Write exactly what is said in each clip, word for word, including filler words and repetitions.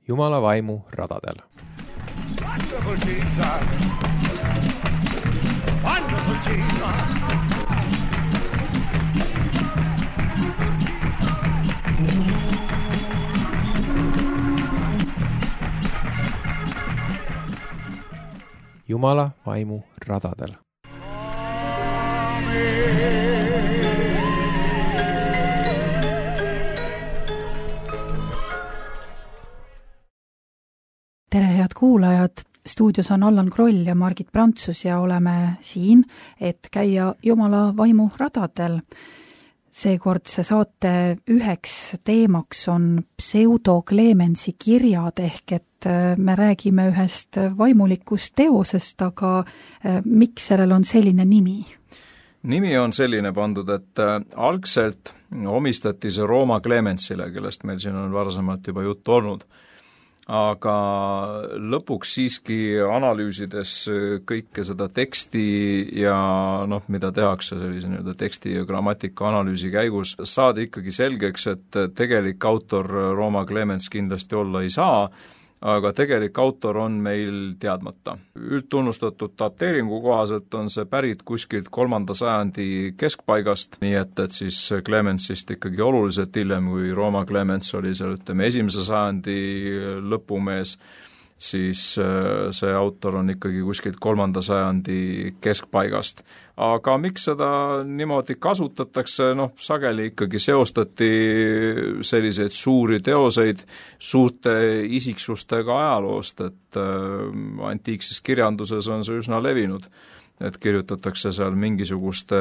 Jumala vaimu radadel. Wonderful Jesus! Wonderful Jesus! Jumala vaimu radadel. Tere, head kuulajad! Stuudios on Allan Kroll ja Margit Prantsus ja oleme siin, et käia Jumala vaimu radadel. Seekordse saate üheks teemaks on pseudokleemensi kirjad ehk et me räägime ühest vaimulikust teosest, aga miks sellel on selline nimi? Nimi on selline pandud, et algselt omistati see Rooma Clemensile, kellest meil siin on varasemalt juba juttu olnud. Aga lõpuks siiski analüüsides kõike seda teksti ja noh, mida tehakse sellise nii-öelda teksti ja grammatika analüüsi käigus, saadi ikkagi selgeks, et tegelik autor Rooma Clemens kindlasti olla ei saa, aga tegelik autor on meil teadmata. Üldtunnustatud dateeringu kohaselt on see pärit kuskilt kolmanda sajandi keskpaigast, nii et, et siis Clemensist ikkagi oluliselt hiljem, kui Rooma Clemens oli seal, ütleme, esimese sajandi lõpumees, siis see autor on ikkagi kuskilt kolmanda sajandi keskpaigast. Aga miks seda niimoodi kasutatakse, noh, sageli ikkagi seostati selliseid suuri teoseid suurte isiksustega ajaloost, et antiikses kirjanduses on see üsna levinud, et kirjutatakse seal mingisuguste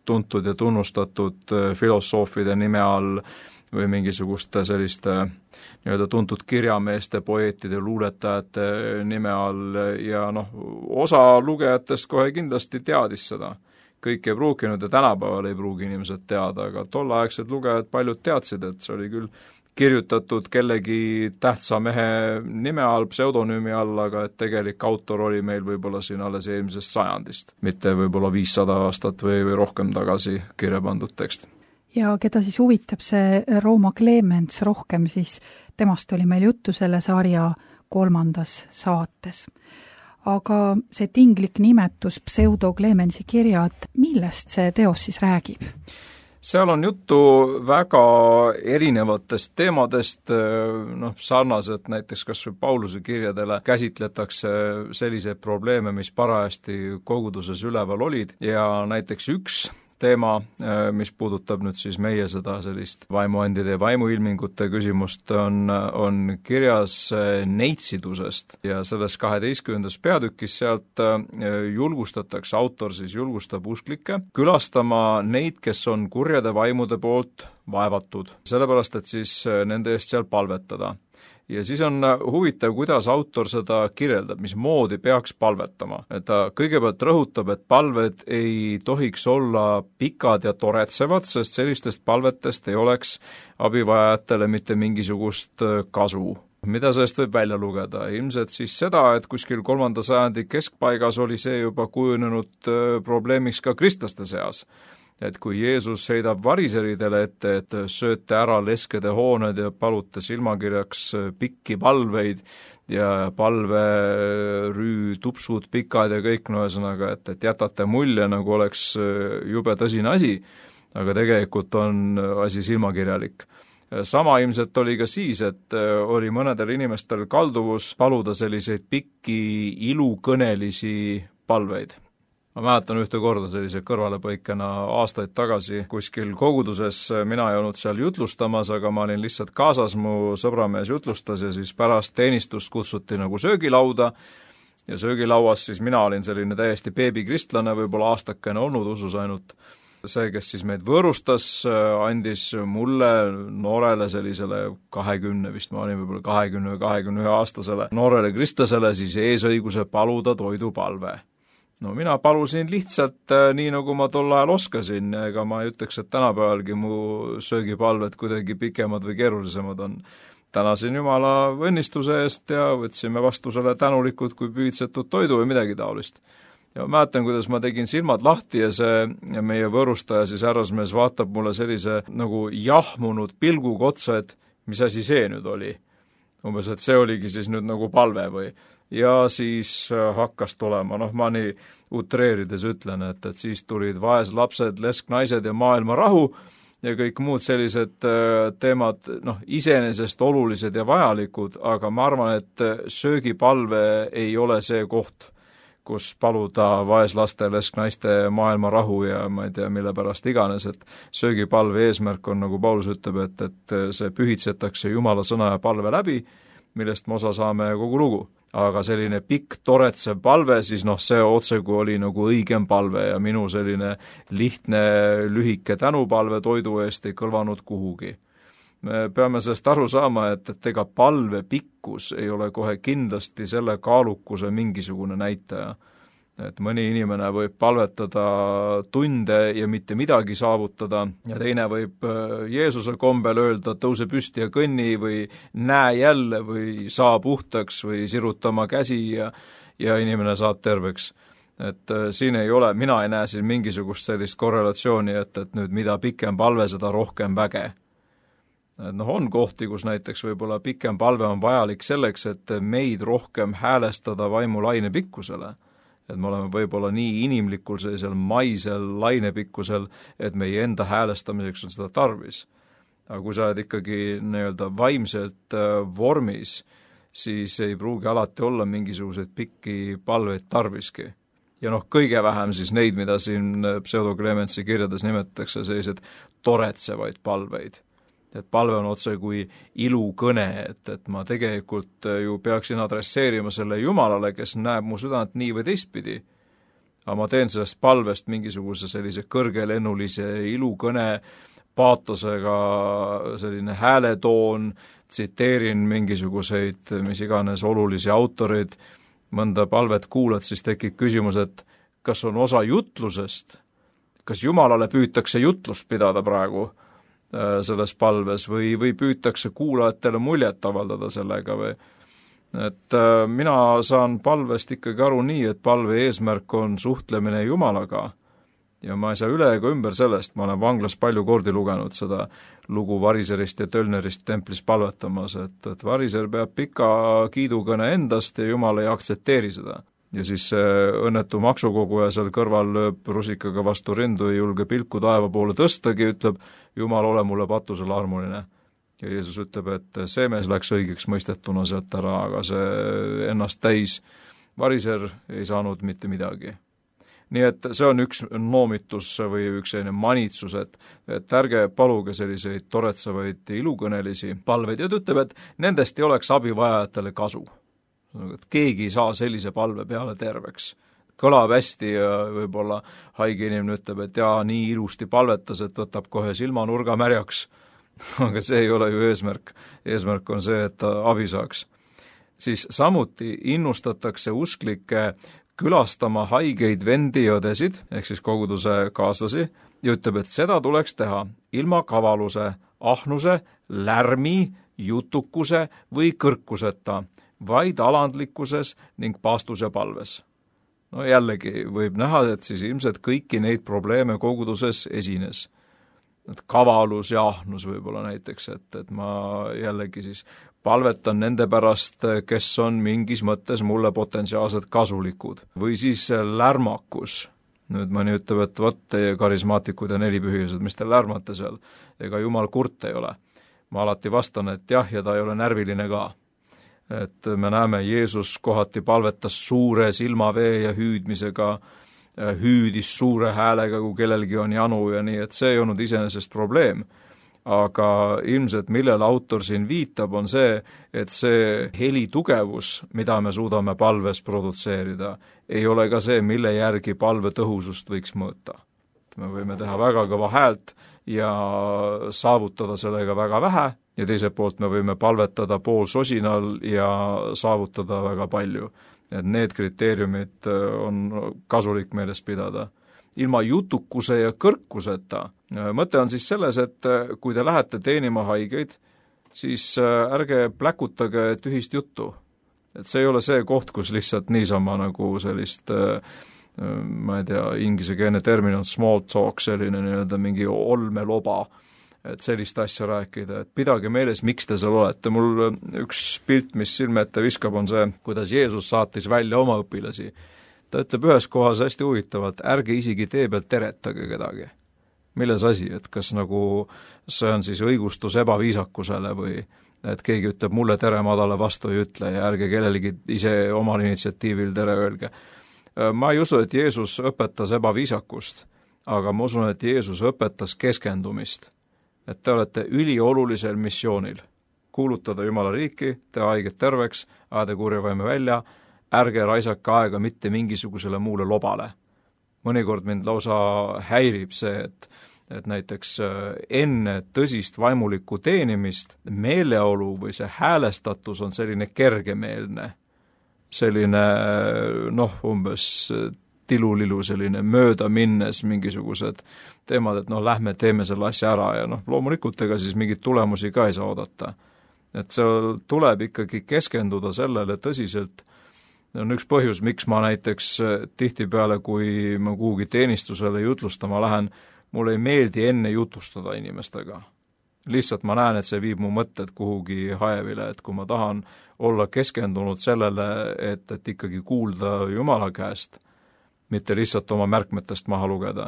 tuntud ja tunnustatud filosoofide nime all või mingisuguste selliste nii-öelda tuntud kirjameeste, poeetide, luuletajate nime all ja noh, osa lugejatest kohe kindlasti teadis seda. Kõik ei pruukinud ja tänapäeval ei pruugi inimesed teada, aga tolleaegsed lugejad paljud teadsid, et see oli küll kirjutatud kellegi tähtsa mehe nime all, pseudonüümi all, aga et tegelik autor oli meil võib-olla siin alles eelmisest sajandist, mitte võib-olla viissada aastat või, või rohkem tagasi kirja pandud tekst. Ja keda siis huvitab see Rooma Clemens rohkem, siis temast oli meil juttu selle sarja kolmandas saates. Aga see tinglik nimetus pseudokleemensi kirjad, millest see teos siis räägib? Seal on juttu väga erinevatest teemadest, noh, sarnaselt näiteks kas või Pauluse kirjadele käsitletakse selliseid probleeme, mis parajasti koguduses üleval olid ja näiteks üks teema, mis puudutab nüüd siis meie seda sellist vaimuandide ja vaimuilmingute küsimust, on, on kirjas neitsidusest ja selles kaheteistkümnendas peatükis sealt julgustatakse, autor siis julgustab usklikke külastama neid, kes on kurjade vaimude poolt vaevatud, sellepärast et siis nende eest seal palvetada. Ja siis on huvitav, kuidas autor seda kirjeldab, mis moodi peaks palvetama. Ta kõigepealt rõhutab, et palved ei tohiks olla pikad ja toretsevad, sest sellistest palvetest ei oleks abivajajatele mitte mingisugust kasu. Mida sellest võib välja lugeda? Ilmselt siis seda, et kuskil kolmanda sajandi keskpaigas oli see juba kujunenud probleemiks ka kristlaste seas. Et kui Jeesus heidab variseridele ette, et sööte ära leskede hooned ja palute silmakirjaks pikki palveid ja palverüü tupsud pikad ja kõik, no ühesõnaga, et, et jätate mulje, nagu oleks jube tõsine asi, aga tegelikult on asi silmakirjalik. Sama ilmselt oli ka siis, et oli mõnedel inimestel kalduvus paluda selliseid pikki ilukõnelisi palveid. Ma mäletan ühte korda sellise kõrvalepõikena aastaid tagasi kuskil koguduses, mina ei olnud seal jutlustamas, aga ma olin lihtsalt kaasas, mu sõbramees jutlustas ja siis pärast teenistust kutsuti nagu söögilauda ja söögilauas siis mina olin selline täiesti beebikristlane, võib-olla aastakene olnud usus ainult. See, kes siis meid võõrustas, andis mulle, noorele sellisele kahekümne, vist ma olin võib-olla kahekümne või kahekümne ühe aastasele noorele kristlasele siis eesõiguse paluda toidupalve. No mina palusin lihtsalt nii, nagu ma tol ajal oskasin, ega ma ei ütleks, et tänapäevalgi mu söögipalved kuidagi pikemad või keerulisemad on. Tänasin Jumala õnnistuse eest ja võtsime vastu selle tänulikud kui püüdsetud toidu või midagi taolist. Ja ma mäletan, kuidas ma tegin silmad lahti ja see ja meie võõrustaja siis härrasmees vaatab mulle sellise nagu jahmunud pilguga otsa, et mis asi see nüüd oli. umbes, et see oligi siis nüüd nagu palve või. Ja siis hakkas tulema, noh ma nii utreerides ütlen, et, et siis tulid vaeslapsed, lesknaised ja maailma rahu ja kõik muud sellised teemad, noh iseenesest olulised ja vajalikud, aga ma arvan, et söögipalve ei ole see koht, kus paluda vaeslaste, lesknaiste maailma rahu ja ma ei tea, mille pärast iganes, et söögipalve eesmärk on, nagu Paulus ütleb, et, et see pühitsetakse Jumala sõna ja palve läbi, millest me osa saame kogu lugu. Aga selline pikk toretsev palve, siis noh, see otseku oli nagu õigem palve ja minu selline lihtne, lühike tänupalve toidu eest ei kõlvanud kuhugi. Me peame sellest aru saama, et, et ega palve pikkus ei ole kohe kindlasti selle kaalukuse mingisugune näitaja. Et mõni inimene võib palvetada tunde ja mitte midagi saavutada ja teine võib Jeesuse kombel öelda, tõuse püsti ja kõnni või näe jälle või saa puhtaks või sirutama käsi ja, ja inimene saab terveks. Et siin ei ole, mina ei näe siin mingisugust sellist korrelatsiooni, et, et nüüd mida pikem palve, seda rohkem väge. Et noh, on kohti, kus näiteks võib-olla pikem palve on vajalik selleks, et meid rohkem häälestada vaimu laine pikkusele. Et me oleme võib-olla nii inimlikul sellisel maisel lainepikkusel, et meie enda häälestamiseks on seda tarvis. Aga kui sa oled ikkagi nii-öelda vaimselt vormis, siis ei pruugi alati olla mingisuguseid pikki palveid tarviski. Ja noh, kõige vähem siis neid, mida siin pseudoklementsi kirjades nimetatakse, sellised toretsevaid palveid. Et palve on otse kui ilukõne, et, et ma tegelikult ju peaksin adresseerima selle Jumalale, kes näeb mu südant nii või teistpidi. Aga ma teen sellest palvest mingisuguse sellise kõrgelennulise ilukõne paatosega, selline hääletoon, tsiteerin mingisuguseid, mis iganes olulisi autoreid, mõnda palvet kuulad, siis tekib küsimus, et kas on osa jutlusest, kas Jumalale püütakse jutlust pidada praegu selles palves või, või püütakse kuulajatele muljet avaldada sellega või et äh, mina saan palvest ikkagi aru nii, et palve eesmärk on suhtlemine Jumalaga ja ma ei saa üle ega ümber sellest, ma olen vanglas palju kordi lugenud seda lugu Variserist ja Tölnerist templis palvetamas, et, et Variser peab pika kiidukõne endast ja Jumal ei aktsepteeri seda. Ja siis õnnetu maksukoguja seal kõrval lööb rusikaga vastu rindu ja julge pilku taeva poole tõstagi, ütleb, Jumal, ole mulle patusel armuline. Ja Jeesus ütleb, et see mees läks õigeks mõistetuna sealt ära, aga see ennast täis variser ei saanud mitte midagi. Nii et see on üks noomitus või üks selline manitsus, et, et ärge paluge selliseid toretsevaid ilukõnelisi palveid ja ta ütleb, et nendest ei oleks abivajajatele kasu. Et keegi ei saa sellise palve peale terveks. Kõlab hästi ja võib-olla haige inimene ütleb, et jaa, nii ilusti palvetas, et võtab kohe silmanurga märjaks. Aga see ei ole ju eesmärk. Eesmärk on see, et ta abi saaks. Siis samuti innustatakse usklikke külastama haigeid vendi ja õdesid, ehk siis koguduse kaaslasi, ja ütleb, et seda tuleks teha ilma kavaluse, ahnuse, lärmi, jutukuse või kõrkuseta, vaid alandlikkuses ning paastus ja palves. No jällegi võib näha, et siis ilmselt kõiki neid probleeme koguduses esines. Et kavalus ja ahnus võib-olla näiteks, et, et ma jällegi siis palvetan nende pärast, kes on mingis mõttes mulle potentsiaalselt kasulikud. Või siis lärmakus. Nüüd mõni ütleb, et võt teie karismaatikud ja nelipühilised, mis te lärmate seal, ega Jumal kurt ei ole. Ma alati vastan, et jah, ja ta ei ole närviline ka. Et me näeme, Jeesus kohati palvetas suure silmavee ja hüüdmisega, hüüdis suure häälega, kui kellelgi on janu ja nii, et see ei olnud iseenesest probleem. Aga ilmselt millele autor siin viitab, on see, et see heli tugevus, mida me suudame palves produtseerida, ei ole ka see, mille järgi palve tõhusust võiks mõõta. Me võime teha väga kõva häält ja saavutada sellega väga vähe, ja teiselt poolt me võime palvetada pool sosinal ja saavutada väga palju. Et need kriteeriumid on kasulik meeles pidada. Ilma jutukuse ja kõrkuseta. Mõte on siis selles, et kui te lähete teenima haigeid, siis ärge pläkutage tühist juttu. Et see ei ole see koht, kus lihtsalt niisama nagu sellist, ma ei tea, inglisekeelne termin on small talk, selline nii-öelda mingi olmeloba, et sellist asja rääkida, et pidage meeles, miks te seal olete. Mul üks pilt, mis silme ette viskab, on see, kuidas Jeesus saatis välja oma õpilasi. Ta ütleb ühes kohas hästi huvitavalt, ärge isegi tee pealt teretage kedagi. Milles asi, et kas nagu see on siis õigustus ebaviisakusele või et keegi ütleb mulle tere, ma talle vastu ei ütle ja ärge kellelegi ise omal initsiatiivil tere öelge. Ma ei usu, et Jeesus õpetas ebaviisakust, aga ma usun, et Jeesus õpetas keskendumist. Et te olete üliolulisel missioonil. Kuulutada Jumala riiki, teha haiget terveks, ajada kurjavaime välja, ärge raisake aega mitte mingisugusele muule lobale. Mõnikord mind lausa häirib see, et, et näiteks enne tõsist vaimulikku teenimist meeleolu või see häälestatus on selline kergemeelne, selline noh, umbes tilulilu, selline mööda minnes mingisugused teemad, et noh, lähme teeme selle asja ära ja noh, loomulikult ega siis mingeid tulemusi ka ei saa oodata. Et seal tuleb ikkagi keskenduda sellele tõsiselt. On üks põhjus, miks ma näiteks tihtipeale, kui ma kuhugi teenistusele jutlustama lähen, mulle ei meeldi enne jutustada inimestega. Lihtsalt ma näen, et see viib mu mõtted kuhugi haevile, et kui ma tahan olla keskendunud sellele, et, et ikkagi kuulda Jumala käest, mitte lihtsalt oma märkmetest maha lugeda,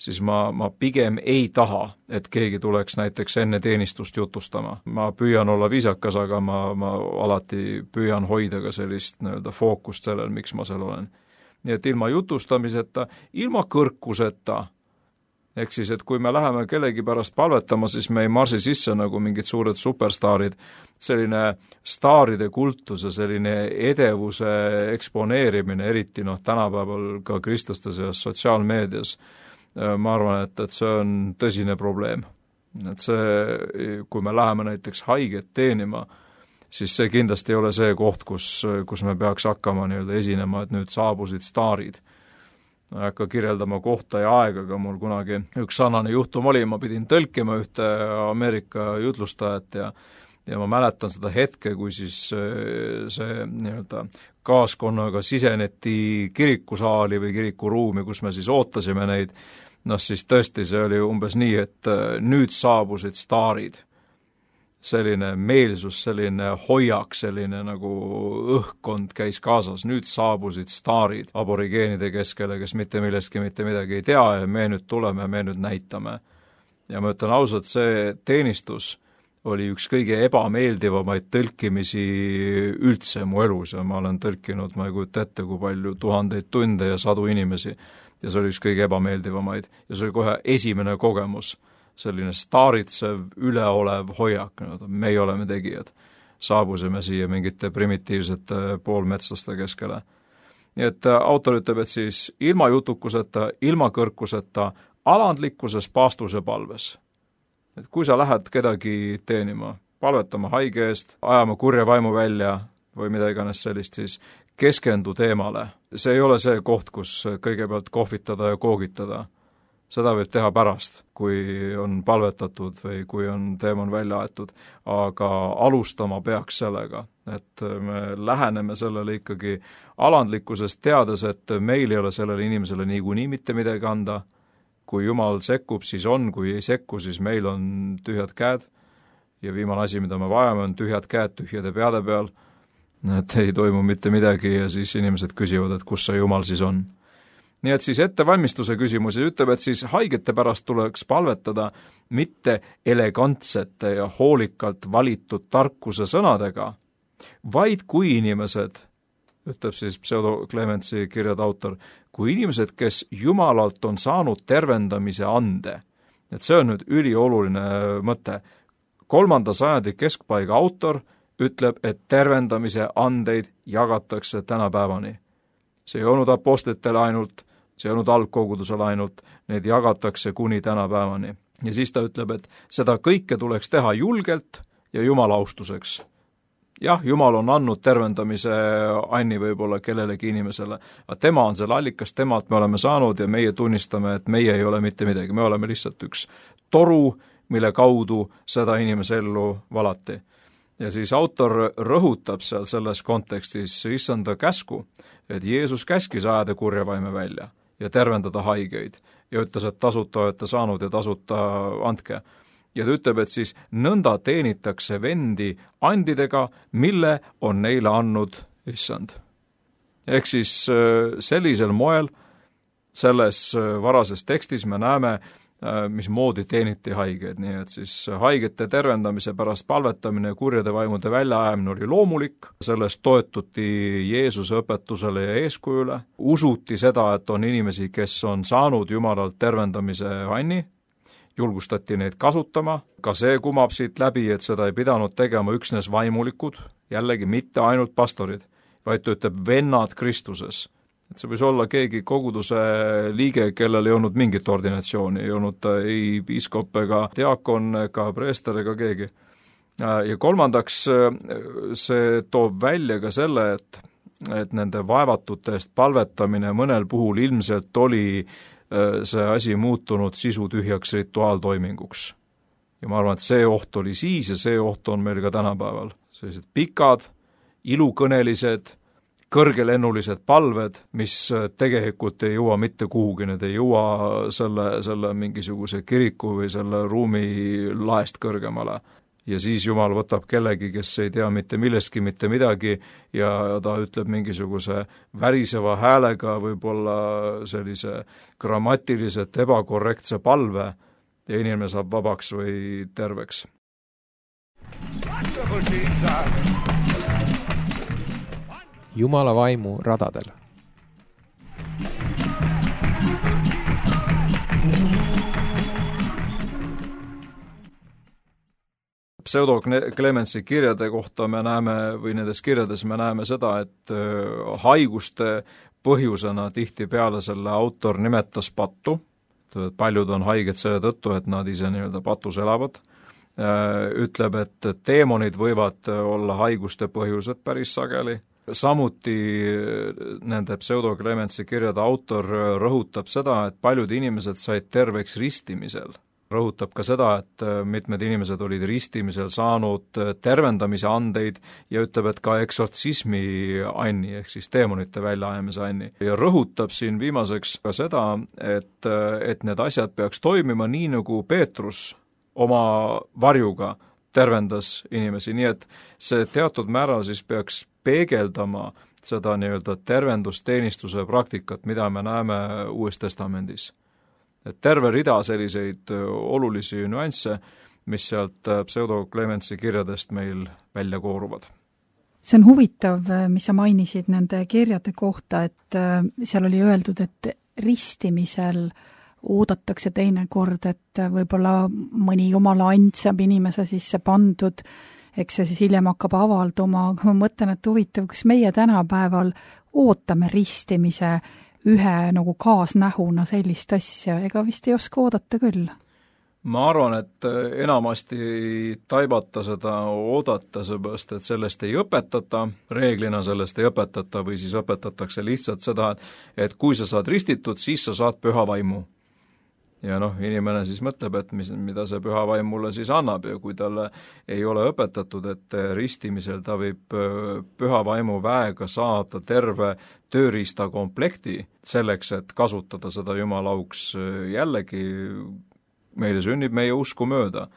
siis ma, ma pigem ei taha, et keegi tuleks näiteks enne teenistust jutustama. Ma püüan olla viisakas, aga ma, ma alati püüan hoida ka sellist nii-öelda fookust sellel, miks ma seal olen. Nii et ilma jutustamiseta, ilma kõrkuseta, ehk siis, et kui me läheme kellegi pärast palvetama, siis me ei marsi sisse nagu mingid suured superstaarid, selline staaride kultus ja selline edevuse eksponeerimine, eriti noh, tänapäeval ka kristlaste seas sotsiaalmeedias, ma arvan, et, et see on tõsine probleem. Et see, kui me läheme näiteks haiget teenima, siis see kindlasti ei ole see koht, kus, kus me peaks hakkama nii-öelda esinema, et nüüd saabusid staarid. Ma ei hakka kirjeldama kohta ja aega, aga mul kunagi üks sarnane juhtum oli, ma pidin tõlkima ühte Ameerika jutlustajat ja ja ma mäletan seda hetke, kui siis see nii-öelda kaaskonnaga siseneti kirikusaali või kirikuruumi, kus me siis ootasime neid, noh siis tõesti see oli umbes nii, et nüüd saabusid staarid. Selline meelsus, selline hoiak, selline nagu õhkkond käis kaasas, nüüd saabusid staarid aborigeenide keskele, kes mitte millestki mitte midagi ei tea ja me nüüd tuleme, me nüüd näitame. Ja ma ütlen ausalt, see teenistus oli üks kõige ebameeldivamaid tõlkimisi üldse mu elus ja ma olen tõlkinud, ma ei kujuta ette, kui palju tuhandeid tunde ja sadu inimesi ja see oli üks kõige ebameeldivamaid ja see oli kohe esimene kogemus, selline staaritsev, üleolev hoiak, meie oleme tegijad, saabusime siia mingite primitiivsete poolmetslaste keskele. Nii et autor ütleb, et siis ilma jutukuseta, ilma kõrkuseta, alandlikkuses, paastuse palves. Et kui sa lähed kedagi teenima, palvetama haige eest, ajama kurja vaimu välja või mida iganes sellist, siis keskendu teemale. See ei ole see koht, kus kõigepealt kohvitada ja koogitada. Seda võib teha pärast, kui on palvetatud või kui on teema on välja aetud, aga alustama peaks sellega, et me läheneme sellele ikkagi alandlikkusest teades, et meil ei ole sellele inimesele niikuinii mitte midagi anda. Kui Jumal sekkub, siis on, kui ei sekku, siis meil on tühjad käed ja viimane asi, mida me vajame, on tühjad käed tühjade peade peal, et ei toimu mitte midagi ja siis inimesed küsivad, et kus see Jumal siis on. Nii et siis ettevalmistuse küsimus ja ütleb, et siis haigete pärast tuleks palvetada mitte elegantsete ja hoolikalt valitud tarkuse sõnadega, vaid kui inimesed, ütleb siis Pseudo Clementsi kirjade autor, kui inimesed, kes Jumalalt on saanud tervendamise ande, et see on nüüd ülioluline mõte. Kolmanda sajandi keskpaiga autor ütleb, et tervendamise andeid jagatakse tänapäevani. See ei olnud apostlitele ainult, see ei olnud algkogudusele ainult, need jagatakse kuni tänapäevani. Ja siis ta ütleb, et seda kõike tuleks teha julgelt ja Jumala austuseks. Jah, Jumal on andnud tervendamise anni võib-olla kellelegi inimesele, aga tema on selle allikas, temalt me oleme saanud ja meie tunnistame, et meie ei ole mitte midagi, me oleme lihtsalt üks toru, mille kaudu seda inimese ellu valati. Ja siis autor rõhutab seal selles kontekstis issanda käsku, et Jeesus käskis ajada kurja vaime välja ja tervendada haigeid ja ütles, et tasuta olete saanud ja tasuta andke. ja ta ütleb, et siis nõnda teenitakse vendi andidega, mille on neile andnud issand. Ehk siis sellisel moel selles varases tekstis me näeme, mismoodi teeniti haigeid, nii et siis haigete tervendamise pärast palvetamine ja kurjade vaimude väljaajamine oli loomulik, sellest toetuti Jeesuse õpetusele ja eeskujule, usuti seda, et on inimesi, kes on saanud Jumalalt tervendamise anni, julgustati neid kasutama, ka see kumab siit läbi, et seda ei pidanud tegema üksnes vaimulikud, jällegi mitte ainult pastorid, vaid ta ütleb vennad Kristuses. Et see võis olla keegi koguduse liige, kellel ei olnud mingit ordinatsiooni, ei olnud ta ei piiskop ega diakon ega preester ega keegi. Ja kolmandaks see toob välja ka selle, et, et nende vaevatute eest palvetamine mõnel puhul ilmselt oli see asi muutunud sisutühjaks rituaaltoiminguks. Ja ma arvan, et see oht oli siis ja see oht on meil ka tänapäeval. Sellised pikad, ilukõnelised, kõrgelennulised palved, mis tegelikult ei jõua mitte kuhugi, need ei jõua selle, selle mingisuguse kiriku või selle ruumi laest kõrgemale. Ja siis Jumal võtab kellegi, kes ei tea mitte millestki mitte midagi ja ta ütleb mingisuguse väriseva häälega võib-olla sellise grammatiliselt ebakorrektse palve ja inimene saab vabaks või terveks. Jumala vaimu radadel. Pseudo Clemensi kirjade kohta me näeme, või nendes kirjades me näeme seda, et haiguste põhjusena tihtipeale selle autor nimetas pattu, paljud on haiged selle tõttu, et nad ise nii-öelda patus elavad, ütleb, et teemonid võivad olla haiguste põhjused päris sageli, samuti nende Pseudo Clemensi kirjade autor rõhutab seda, et paljud inimesed said terveks ristimisel. Rõhutab ka seda, et mitmed inimesed olid ristimisel saanud tervendamise andeid ja ütleb, et ka eksortsismi anni, ehk siis teemonite väljaajamise anni. Ja rõhutab siin viimaseks ka seda, et, et need asjad peaks toimima nii, nagu Peetrus oma varjuga tervendas inimesi, nii et see teatud määral siis peaks peegeldama seda nii-öelda tervendusteenistuse praktikat, mida me näeme Uues Testamendis. Et terve rida selliseid olulisi nüansse, mis sealt Pseudo Clemensi kirjadest meil välja kooruvad. See on huvitav, mis sa mainisid nende kirjade kohta, et seal oli öeldud, et ristimisel oodatakse teine kord, et võib-olla mõni jumala and saab inimese sisse pandud, eks see siis hiljem hakkab avalduma, aga ma mõtlen, et huvitav, kas meie tänapäeval ootame ristimise ühe nagu kaasnähuna sellist asja, ega vist ei oska oodata küll? Ma arvan, et enamasti ei taibata seda oodata, seepärast, et sellest ei õpetata, reeglina sellest ei õpetata või siis õpetatakse lihtsalt seda, et kui sa saad ristitud, siis sa saad püha vaimu. Ja noh, inimene siis mõtleb, et mis, mida see püha vaim mulle siis annab ja kui talle ei ole õpetatud, et ristimisel ta võib püha vaimu väega saada terve tööriista komplekti selleks, et kasutada seda Jumala auks, jällegi meile sünnib meie usku mööda.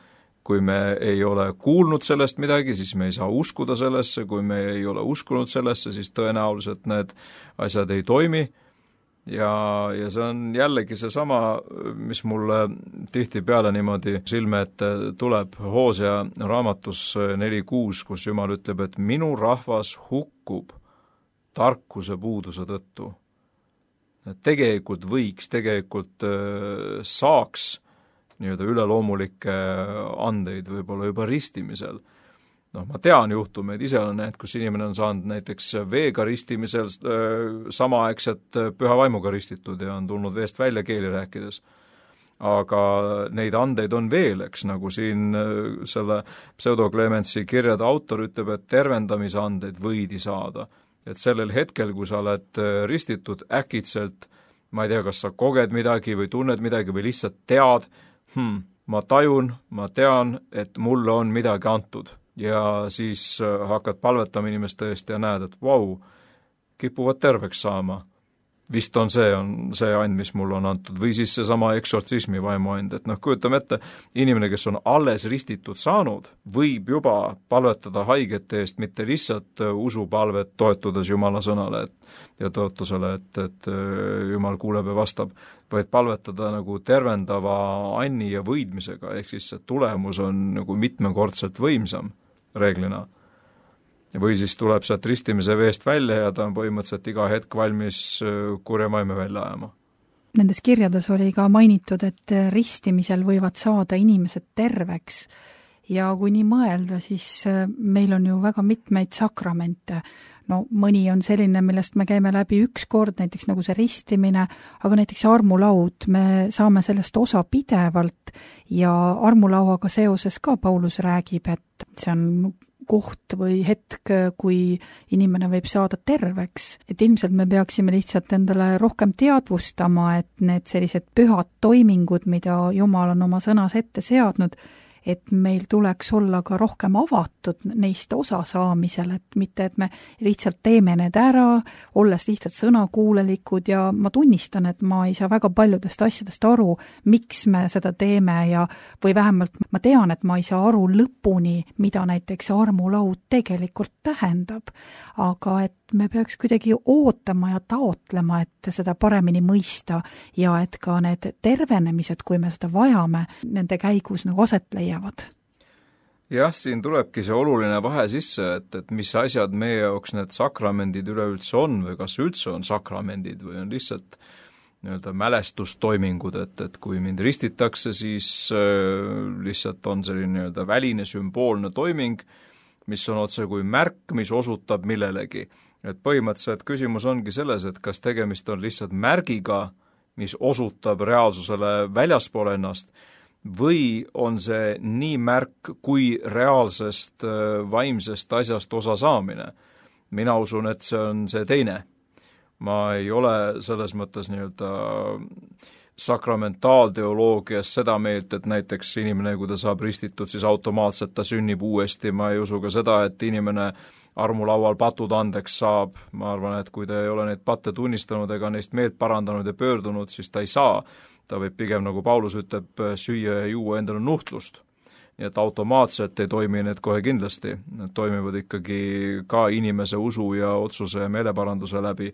Kui me ei ole kuulnud sellest midagi, siis me ei saa uskuda sellesse, kui me ei ole uskunud sellesse, siis tõenäoliselt need asjad ei toimi. Ja, ja see on jällegi see sama, mis mulle tihtipeale niimoodi silme ette tuleb Hoosea raamatus neli kuus, kus Jumal ütleb, et minu rahvas hukkub tarkuse puuduse tõttu. Et tegelikult võiks, tegelikult saaks nii-öelda üleloomulikke andeid võib-olla juba ristimisel. Noh, ma tean juhtumeid, ise olen need, kus inimene on saanud näiteks veega ristimisel samaaegselt püha vaimuga ristitud ja on tulnud veest välja keeli rääkides. Aga neid andeid on veel, eks, nagu siin selle Pseudo Clemensi kirjade autor ütleb, et tervendamise andeid võidi saada. Et sellel hetkel, kui sa oled ristitud äkitselt, ma ei tea, kas sa koged midagi või tunned midagi või lihtsalt tead, hmm, ma tajun, ma tean, et mulle on midagi antud. Ja siis hakkad palvetama inimeste eest ja näed, et vau, kipuvad terveks saama. vist on see, on see and, mis mul on antud, või siis see sama eksortsismi vaimuand, et noh, kujutame ette, inimene, kes on alles ristitud saanud, võib juba palvetada haigete eest, mitte lihtsalt usupalvet toetudes Jumala sõnale et, ja tõotusele, et, et Jumal kuuleb ja vastab, vaid palvetada nagu tervendava anni ja võidmisega, ehk siis see tulemus on nagu mitmekordselt võimsam reeglina. Või siis tuleb sealt ristimise veest välja ja ta on põhimõtteliselt iga hetk valmis kurja maime välja ajama. Nendes kirjades oli ka mainitud, et ristimisel võivad saada inimesed terveks ja kui nii mõelda, siis meil on ju väga mitmeid sakramente. No mõni on selline, millest me käime läbi üks kord, näiteks nagu see ristimine, aga näiteks armulaud, me saame sellest osa pidevalt ja armulauaga seoses ka Paulus räägib, et see on koht või hetk, kui inimene võib saada terveks. Et ilmselt me peaksime lihtsalt endale rohkem teadvustama, et need sellised pühad toimingud, mida Jumal on oma sõnas ette seadnud, et meil tuleks olla ka rohkem avatud neist osa saamisel, et mitte, et me lihtsalt teeme need ära, olles lihtsalt sõnakuulelikud ja ma tunnistan, et ma ei saa väga paljudest asjadest aru, miks me seda teeme ja või vähemalt ma tean, et ma ei saa aru lõpuni, mida näiteks armulaud tegelikult tähendab, aga et me peaks kuidagi ootama ja taotlema, et seda paremini mõista ja et ka need tervenemised, kui me seda vajame, nende käigus nagu aset leiavad. Jah, siin tulebki see oluline vahe sisse, et, et mis asjad meie jaoks need sakramendid üleüldse on või kas üldse on sakramendid või on lihtsalt nii-öelda mälestustoimingud, et, et kui mind ristitakse, siis äh, lihtsalt on selline nii-öelda väline sümboolne toiming, mis on otse kui märk, mis osutab millelegi. Et põhimõtteliselt küsimus ongi selles, et kas tegemist on lihtsalt märgiga, mis osutab reaalsusele väljaspool ennast, või on see nii märk kui reaalsest vaimsest asjast osa saamine. Mina usun, et see on see teine. Ma ei ole selles mõttes nii-öelda sakramentaalteoloogias seda meelt, et näiteks inimene, kui ta saab ristitud, siis automaatselt ta sünnib uuesti. Ma ei usu ka seda, et inimene armulaual patud andeks saab. Ma arvan, et kui ta ei ole neid patte tunnistanud ega neist meelt parandanud ja pöördunud, siis ta ei saa. Ta võib pigem, nagu Paulus ütleb, süüa ja juua endale nuhtlust. Nii et automaatselt ei toimi need kohe kindlasti. Need toimivad ikkagi ka inimese usu ja otsuse ja meeleparanduse läbi.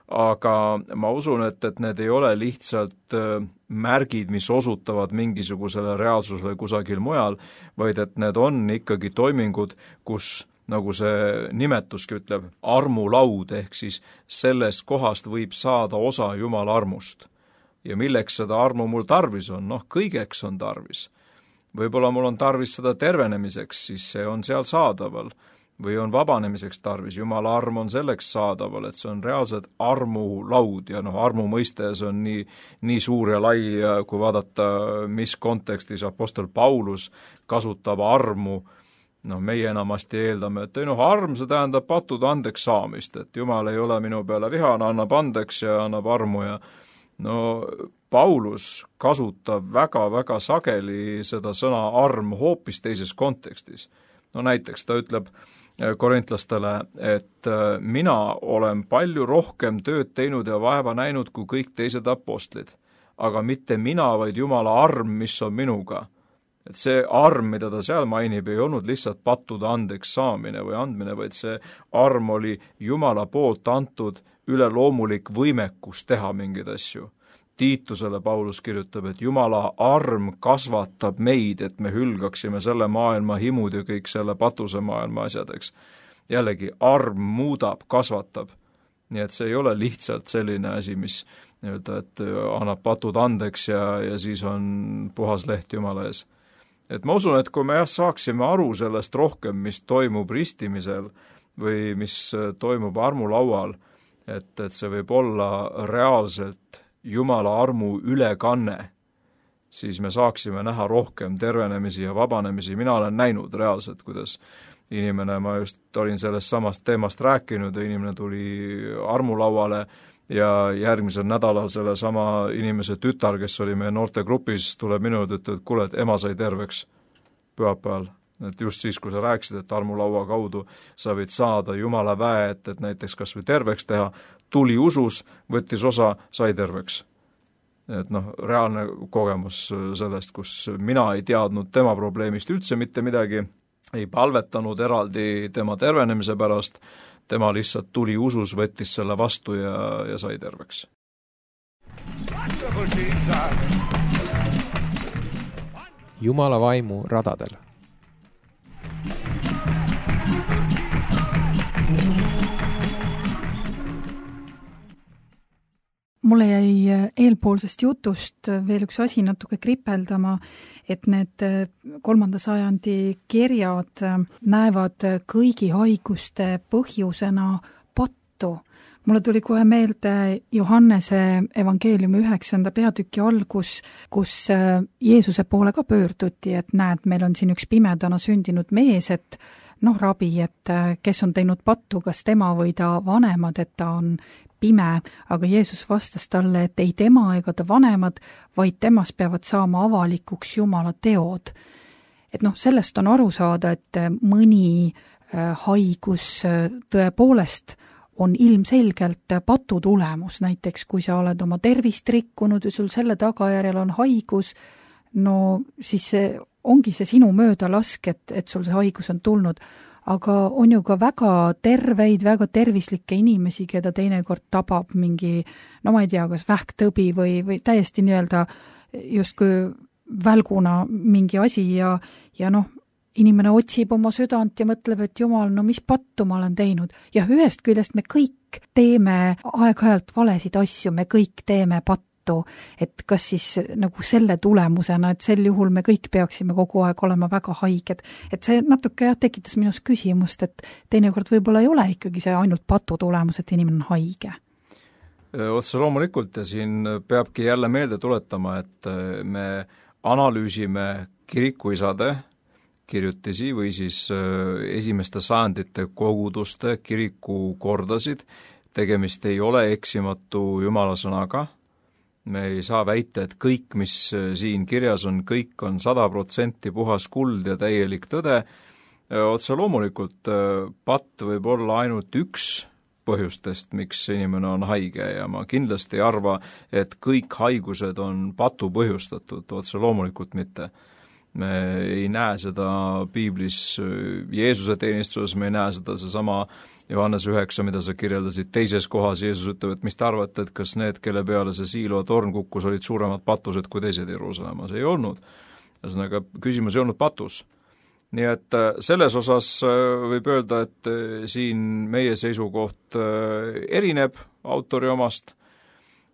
Aga ma usun, et, et need ei ole lihtsalt märgid, mis osutavad mingisugusele reaalsusele kusagil mujal, vaid et need on ikkagi toimingud, kus, nagu see nimetuski ütleb, armulaud, ehk siis sellest kohast võib saada osa Jumala armust. Ja milleks seda armu mul tarvis on? Noh, kõigeks on tarvis. Võib-olla mul on tarvis seda tervenemiseks, siis see on seal saadaval. Või on vabanemiseks tarvis. Jumala arm on selleks saadaval, et see on reaalselt armulaud ja noh, armu mõiste see on nii, nii suur ja lai, kui vaadata, mis kontekstis apostel Paulus kasutab armu. No meie enamasti eeldame, et ei noh, arm see tähendab patud andeks saamist, et Jumal ei ole minu peale vihane, annab andeks ja annab armu ja no Paulus kasutab väga-väga sageli seda sõna arm hoopis teises kontekstis. No näiteks ta ütleb korintlastele, et mina olen palju rohkem tööd teinud ja vaeva näinud kui kõik teised apostlid, aga mitte mina, vaid Jumala arm, mis on minuga. Et see arm, mida ta seal mainib, ei olnud lihtsalt pattude andeks saamine või andmine, vaid see arm oli Jumala poolt antud üleloomulik võimekus teha mingeid asju. Tiitusele Paulus kirjutab, et Jumala arm kasvatab meid, et me hülgaksime selle maailma himud ja kõik selle patuse maailma asjadeks. Jällegi, arm muudab, kasvatab. Nii et see ei ole lihtsalt selline asi, mis nii-öelda, et annab patud andeks ja, ja siis on puhas leht Jumala ees. Et ma usun, et kui me jah saaksime aru sellest rohkem, mis toimub ristimisel või mis toimub armulaual, et, et see võib olla reaalselt Jumala armu ülekanne, siis me saaksime näha rohkem tervenemisi ja vabanemisi. Mina olen näinud reaalselt, kuidas inimene, ma just olin sellest samast teemast rääkinud ja inimene tuli armulauale ja järgmisel nädalal selle sama inimese tütar, kes oli meie noortegrupis, tuleb minu juurde, ütleb, et kuule, et ema sai terveks pühapäeval. et just siis, kui sa rääkisid, et armulaua kaudu sa võid saada Jumala väe, et, et näiteks kas või terveks teha, tuli usus, võttis osa, sai terveks. Et noh, reaalne kogemus sellest, kus mina ei teadnud tema probleemist üldse mitte midagi, ei palvetanud eraldi tema tervenemise pärast, tema lihtsalt tuli usus, võttis selle vastu ja, ja sai terveks. Jumala vaimu radadel. Mulle jäi eelpoolsest jutust veel üks asi natuke kripeldama, et need kolmanda sajandi kirjad näevad kõigi haiguste põhjusena pattu. Mulle tuli kohe meelde Johannese evangeeliumi üheksanda peatüki algus, kus Jeesuse poole ka pöörduti, et näed, meil on siin üks pimedana sündinud mees, et noh, rabi, et kes on teinud pattu, kas tema või ta vanemad, et ta on pime, aga Jeesus vastas talle, et ei tema ega ta vanemad, vaid temas peavad saama avalikuks Jumala teod. Et noh, sellest on aru saada, et mõni haigus tõepoolest on ilmselgelt patu tulemus, näiteks kui sa oled oma tervist rikkunud ja sul selle tagajärjel on haigus, no siis see ongi see sinu möödalask, et, et sul see haigus on tulnud. Aga on ju ka väga terveid, väga tervislikke inimesi, keda teinekord tabab mingi, no ma ei tea, kas vähktõbi või, või täiesti nii-öelda justkui välguna mingi asi ja, ja noh, inimene otsib oma südant ja mõtleb, et Jumal, no mis pattu ma olen teinud. Ja ühest küljest me kõik teeme aeg-ajalt valesid asju, me kõik teeme pattu, et kas siis nagu selle tulemusena, et sel juhul me kõik peaksime kogu aeg olema väga haiged. Et see natuke jah, tekitas minus küsimust, et teinekord võib-olla ei ole ikkagi see ainult patu tulemus, et inimene on haige. Otse loomulikult ja siin peabki jälle meelde tuletama, et me analüüsime kirikuisade kirjutisi või siis esimeste sajandite koguduste kirikukordasid, tegemist ei ole eksimatu Jumala sõnaga. Me ei saa väita, et kõik, mis siin kirjas on, kõik on sada protsenti puhas kuld ja täielik tõde. Otse loomulikult patt võib olla ainult üks põhjustest, miks inimene on haige ja ma kindlasti ei arva, et kõik haigused on patu põhjustatud, otse loomulikult mitte. Me ei näe seda piiblis Jeesuse teenistuses, me ei näe seda seesama Johannes üheksa, mida sa kirjeldasid teises kohas, Jeesus ütleb, et mis te arvate, et kas need, kelle peale see Siilo torn kukkus, olid suuremad patused kui teised Jeruusalemmas? Ei olnud. Ühesõnaga, küsimus ei olnud patus. Nii et selles osas võib öelda, et siin meie seisukoht erineb autori omast.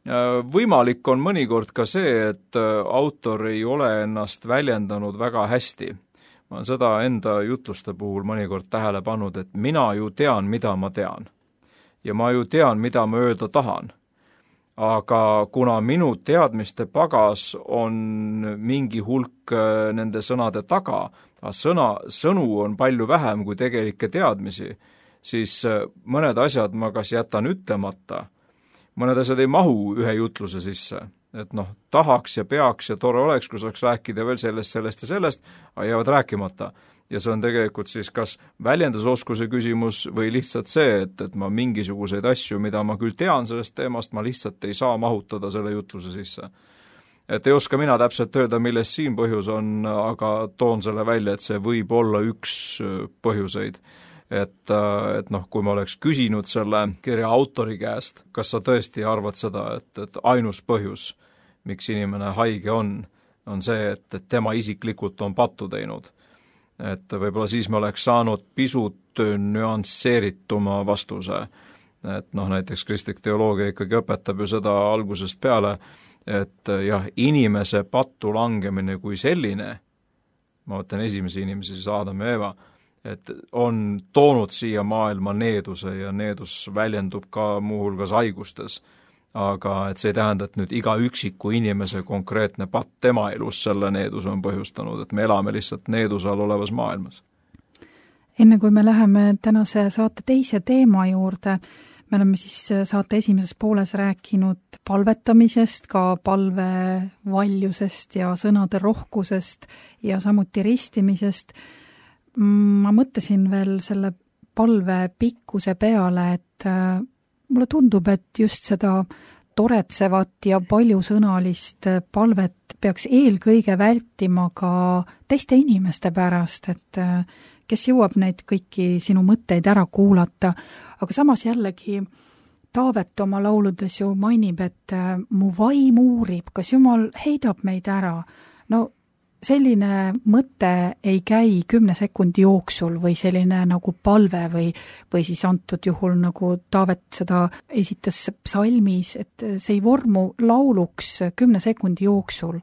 Võimalik on mõnikord ka see, et autor ei ole ennast väljendanud väga hästi. Ma olen seda enda jutluste puhul mõnikord tähele pannud, et mina ju tean, mida ma tean. Ja ma ju tean, mida ma öelda tahan. Aga kuna minu teadmiste pagas on mingi hulk nende sõnade taga, aga sõna, sõnu on palju vähem kui tegelikke teadmisi, siis mõned asjad ma kas jätan ütlemata, mõned asjad ei mahu ühe jutluse sisse. Et noh, tahaks ja peaks ja tore oleks, kui saaks rääkida veel sellest, sellest ja sellest, aga jäävad rääkimata. Ja see on tegelikult siis kas väljendusoskuse küsimus või lihtsalt see, et, et ma mingisuguseid asju, mida ma küll tean sellest teemast, ma lihtsalt ei saa mahutada selle jutluse sisse. Et ei oska mina täpselt öelda, milles siin põhjus on, aga toon selle välja, et see võib olla üks põhjuseid. Et, et noh, kui ma oleks küsinud selle kirja autori käest, kas sa tõesti arvad seda, et, et ainus põhjus, miks inimene haige on, on see, et, et tema isiklikult on pattu teinud. Et võib-olla siis me oleks saanud pisut nüansseerituma vastuse. Et noh, näiteks kristlik teoloogia ikkagi õpetab ju seda algusest peale, et jah, inimese pattu langemine kui selline, ma võtan esimese inimese, siis Aadam ja Eeva, et on toonud siia maailma needuse ja needus väljendub ka muuhulgas haigustes. Aga et see ei tähenda, et nüüd iga üksiku inimese konkreetne patt tema elus selle needus on põhjustanud, et me elame lihtsalt needuse all olevas maailmas. Enne kui me läheme tänase saate teise teema juurde, me oleme siis saate esimeses pooles rääkinud palvetamisest, ka palvevaljusest ja sõnade rohkusest ja samuti ristimisest. ma mõtlesin veel selle palve pikkuse peale, et mulle tundub, et just seda toretsevat ja paljusõnalist palvet peaks eelkõige vältima ka teiste inimeste pärast, et kes jõuab neid kõiki sinu mõtteid ära kuulata, aga samas jällegi Taavet oma lauludes ju mainib, et mu vaim uurib, kas Jumal heidab meid ära. No selline mõte ei käi kümne sekundi jooksul või selline nagu palve või, või siis antud juhul nagu Taavet seda esitas psalmis, et see ei vormu lauluks kümne sekundi jooksul.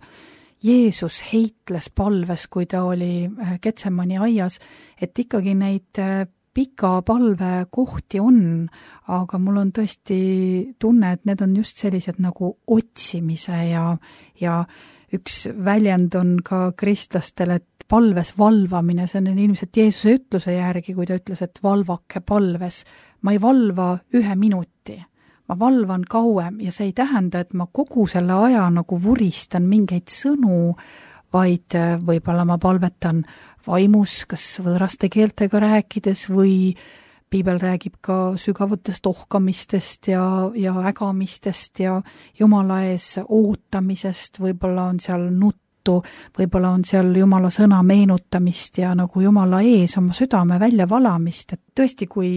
Jeesus heitles palves, kui ta oli Getsemani aias, et ikkagi neid pika palve kohti on, aga mul on tõesti tunne, et need on just sellised nagu otsimise ja, ja üks väljend on ka kristlastel, et palves valvamine, see on ilmselt Jeesuse ütluse järgi, kui ta ütles, et valvake palves. Ma ei valva ühe minuti, ma valvan kauem ja see ei tähenda, et ma kogu selle aja nagu vuristan mingeid sõnu, vaid võib-olla ma palvetan vaimus, kas võõraste keeltega rääkides või Piibel räägib ka sügavatest ohkamistest ja, ja ägamistest ja Jumala ees ootamisest, võib-olla on seal nuttu, võib-olla on seal Jumala sõna meenutamist ja nagu Jumala ees oma südame väljavalamist, et tõesti, kui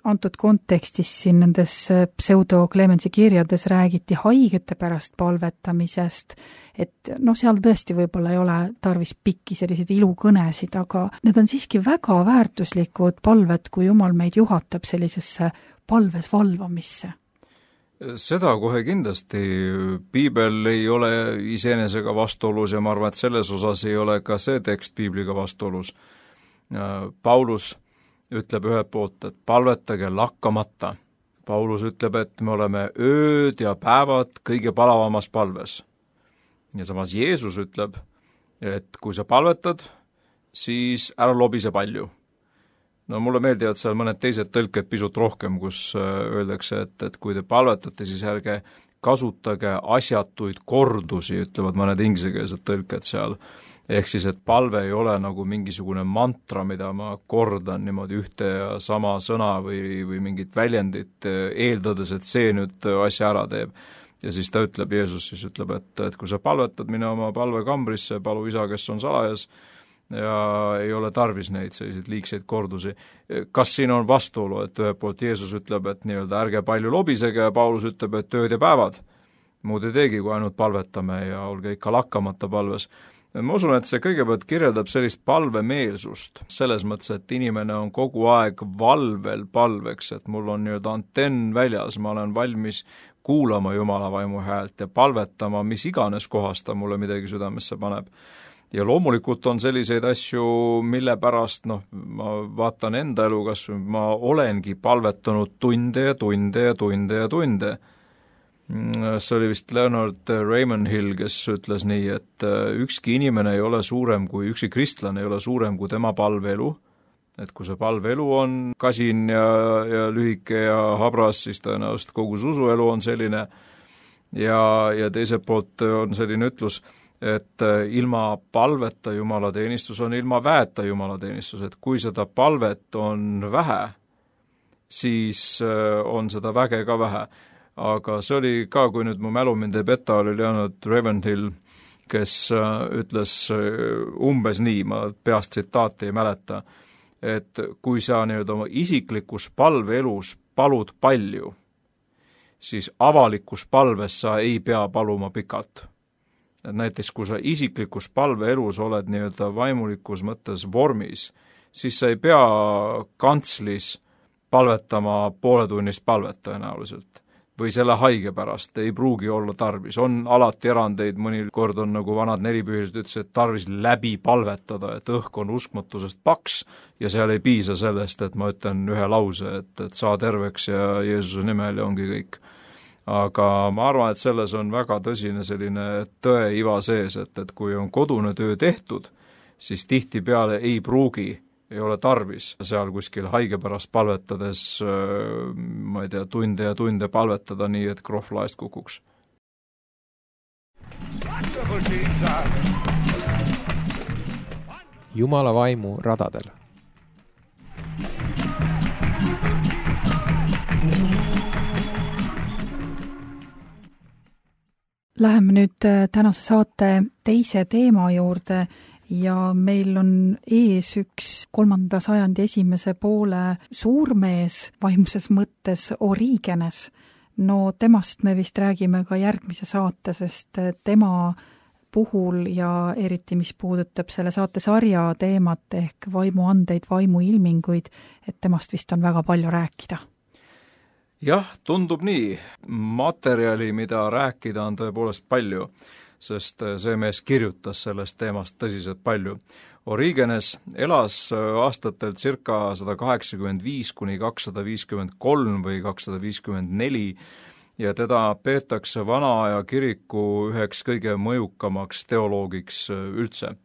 antud kontekstis siin nendes pseudo Clemensi kirjades räägiti haigete pärast palvetamisest, et noh, seal tõesti võib-olla ei ole tarvis pikki selliseid ilukõnesid, aga need on siiski väga väärtuslikud palved, kui Jumal meid juhatab sellisesse palves valvamisse. Seda kohe kindlasti. Piibel ei ole iseenesega vastuolus ja ma arvan, et selles osas ei ole ka see tekst Piibliga vastuolus. Paulus ütleb ühelt poolt, et palvetage lakkamata. Paulus ütleb, et me oleme ööd ja päevad kõige palavamas palves. Ja samas Jeesus ütleb, et kui sa palvetad, siis ära lobise palju. No mulle meeldivad seal mõned teised tõlked pisut rohkem, kus öeldakse, et, et kui te palvetate, siis ärge kasutage asjatuid kordusi, ütlevad mõned inglisekeelsed tõlked seal. Ehk siis, et palve ei ole nagu mingisugune mantra, mida ma kordan niimoodi ühte ja sama sõna või, või mingit väljendit, eeldades, et see nüüd asja ära teeb. Ja siis ta ütleb, Jeesus siis ütleb, et, et kui sa palvetad, mine oma palvekambrisse, palu isa, kes on salajas, ja ei ole tarvis neid selliseid liigseid kordusi. Kas siin on vastuolu, et ühelt poolt Jeesus ütleb, et nii-öelda ärge palju lobisege, ja Paulus ütleb, et tööd ja päevad. Muud ei teegi, kui ainult palvetame ja olge ikka lakkamata palves. Ma usun, et see kõigepealt kirjeldab sellist palvemeelsust, selles mõttes, et inimene on kogu aeg valvel palveks, et mul on nii-öelda antenn väljas, ma olen valmis kuulama Jumala vaimu häält ja palvetama, mis iganes kohast ta mulle midagi südamesse paneb. Ja loomulikult on selliseid asju, mille pärast, noh, ma vaatan enda elu, kas ma olengi palvetanud tunde ja tunde ja tunde ja tunde. See oli vist Leonard Ravenhill, kes ütles nii, et ükski inimene ei ole suurem kui, üksi kristlane ei ole suurem kui tema palveelu, et kui see palveelu on kasin ja, ja lühike ja habras, siis tõenäoliselt kogu usuelu on selline ja, ja teiselt poolt on selline ütlus, et ilma palveta jumalateenistus on ilma väeta jumalateenistus, et kui seda palvet on vähe, siis on seda väge ka vähe. Aga see oli ka, kui nüüd mu mälu mind ei peta, oli Leonard Ravenhill, kes ütles umbes nii, ma peast tsitaati ei mäleta, et kui sa nii-öelda oma isiklikus palveelus palud palju, siis avalikus palves sa ei pea paluma pikalt. Et näiteks, kui sa isiklikus palveelus oled nii-öelda vaimulikus mõttes vormis, siis sa ei pea kantslis palvetama pooletunnist palvet tõenäoliselt. Või selle haige pärast ei pruugi olla tarvis. On alati erandeid, mõni kord on nagu vanad nelipühilised ütles, et tarvis läbi palvetada, et õhk on uskmatusest paks ja seal ei piisa sellest, et ma ütlen ühe lause, et, et saa terveks ja Jeesuse nimel ja ongi kõik. Aga ma arvan, et selles on väga tõsine selline tõe iva sees, et, et kui on kodune töö tehtud, siis tihti peale ei pruugi ei ole tarvis seal kuskil haige pärast palvetades, ma ei tea, tunde ja tunde palvetada nii, et krohv laest kukuks. Jumala vaimu radadel. Läheme nüüd tänase saate teise teema juurde ja meil on ees üks kolmanda sajandi esimese poole suurmees vaimses mõttes Origenes. No temast me vist räägime ka järgmise saate, sest tema puhul ja eriti mis puudutab selle saate sarja teemat ehk vaimuandeid, vaimuilminguid, et temast vist on väga palju rääkida. Jah, tundub nii. Materjali, mida rääkida, on tõepoolest palju, sest see mees kirjutas sellest teemast tõsiselt palju. Origenes elas aastatel circa sada kaheksakümmend viis kuni kakssada viiskümmend kolm või kakssada viiskümmend neli ja teda peetakse vana aja kiriku üheks kõige mõjukamaks teoloogiks üldse.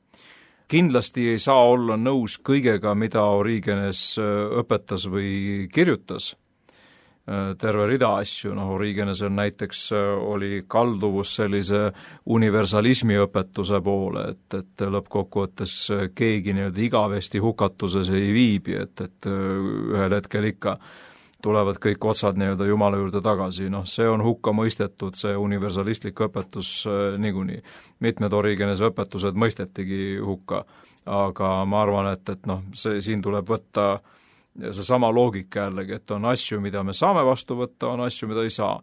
Kindlasti ei saa olla nõus kõigega, mida Origenes õpetas või kirjutas. Terve rida asju, noh, Origenesel näiteks oli kalduvus sellise universalismi õpetuse poole, et, et lõppkokkuvõttes keegi nii-öelda igavesti hukatuses ei viibi, et, et ühel hetkel ikka tulevad kõik otsad nii-öelda Jumala juurde tagasi, noh, see on hukka mõistetud, see universalistlik õpetus niikuinii. Mitmed Origenese õpetused mõistetigi hukka, aga ma arvan, et, et noh, see siin tuleb võtta ja see sama loogika jällegi, et on asju, mida me saame vastu võtta, on asju, mida ei saa.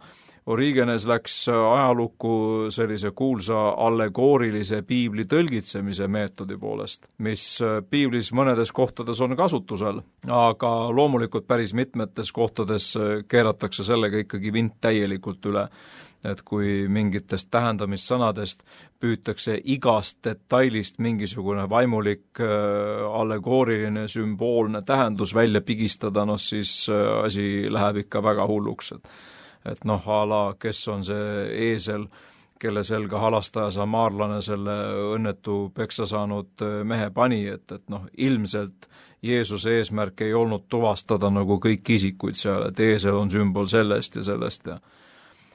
Origenes läks ajalukku sellise kuulsa allegoorilise piibli tõlgitsemise meetodi poolest, mis piiblis mõnedes kohtades on kasutusel, aga loomulikult päris mitmetes kohtades keeratakse sellega ikkagi vint täielikult üle. Et kui mingitest tähendamissõnadest püütakse igast detailist mingisugune vaimulik allegooriline sümboolne tähendus välja pigistada, noh siis asi läheb ikka väga hulluks. Et, et noh, ala, kes on see eesel, kelle selga halastaja samaarlane selle õnnetu peksa saanud mehe pani, et, et noh, ilmselt Jeesuse eesmärk ei olnud tuvastada nagu kõik isikuid seal, et eesel on sümbol sellest ja sellest ja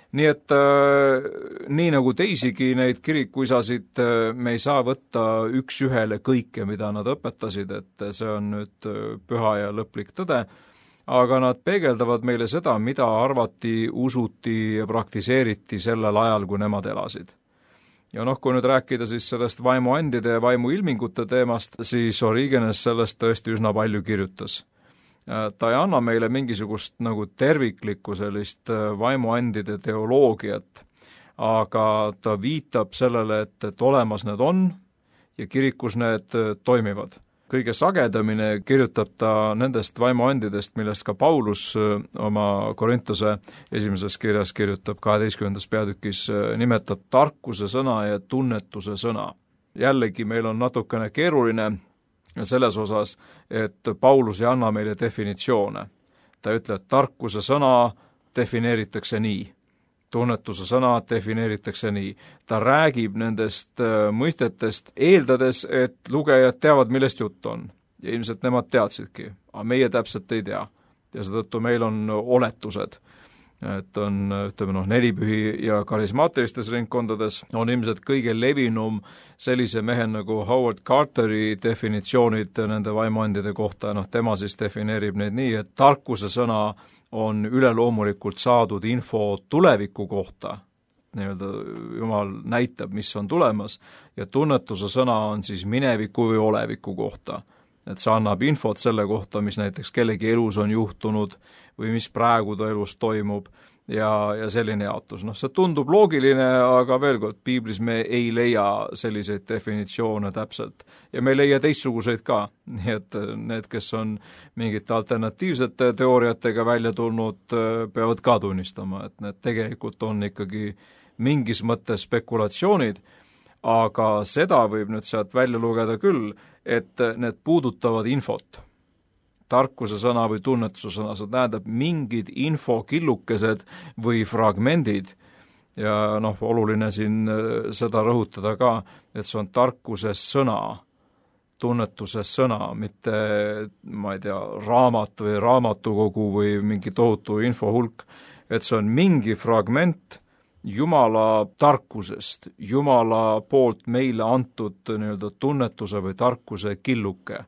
nii et äh, nii nagu teisigi neid kirikuisasid äh, me ei saa võtta üks ühele kõike, mida nad õpetasid, et see on nüüd püha ja lõplik tõde, aga nad peegeldavad meile seda, mida arvati, usuti ja praktiseeriti sellel ajal, kui nemad elasid. Ja noh, kui nüüd rääkida siis sellest vaimuandide ja vaimuilmingute teemast, siis Origenes sellest tõesti üsna palju kirjutas. Ta ei anna meile mingisugust nagu terviklikku sellist vaimuandide teoloogiat, aga ta viitab sellele, et, et olemas need on ja kirikus need toimivad. Kõige sagedamini kirjutab ta nendest vaimuandidest, millest ka Paulus oma Korintuse esimeses kirjas kirjutab kaheteistkümnendas peatükis, nimetab tarkuse sõna ja tunnetuse sõna. Jällegi meil on natukene keeruline selles osas, et Paulus ei anna meile definitsioone. Ta ütleb, et tarkuse sõna defineeritakse nii, tunnetuse sõna defineeritakse nii. Ta räägib nendest mõistetest, eeldades, et lugejad teavad, millest jutt on. Ja ilmselt nemad teadsidki, aga meie täpselt ei tea. Ja seetõttu meil on oletused. Et on, ütleme noh, nelipühi ja karismaatilistes ringkondades on ilmselt kõige levinum sellise mehe nagu Howard Carteri definitsioonid nende vaimuandide kohta, noh tema siis defineerib neid nii, et tarkuse sõna on üleloomulikult saadud info tuleviku kohta, nii-öelda Jumal näitab, mis on tulemas, ja tunnetuse sõna on siis mineviku või oleviku kohta. Et see annab infot selle kohta, mis näiteks kellegi elus on juhtunud või mis praegu ta elus toimub ja, ja selline jaotus. Noh, see tundub loogiline, aga veel kord, piiblis me ei leia selliseid definitsioone täpselt ja me ei leia teistsuguseid ka. Nii et need, kes on mingite alternatiivsete teooriatega välja tulnud, peavad ka tunnistama, et need tegelikult on ikkagi mingis mõttes spekulatsioonid, aga seda võib nüüd sealt välja lugeda küll, et need puudutavad infot, tarkuse sõna või tunnetuse sõna, see tähendab mingid infokillukesed või fragmendid ja noh, oluline siin seda rõhutada ka, et see on tarkuse sõna, tunnetuse sõna, mitte ma ei tea, raamat või raamatukogu või mingi tohutu infohulk, et see on mingi fragment Jumala tarkusest, Jumala poolt meile antud nii-öelda tunnetuse või tarkuse killuke.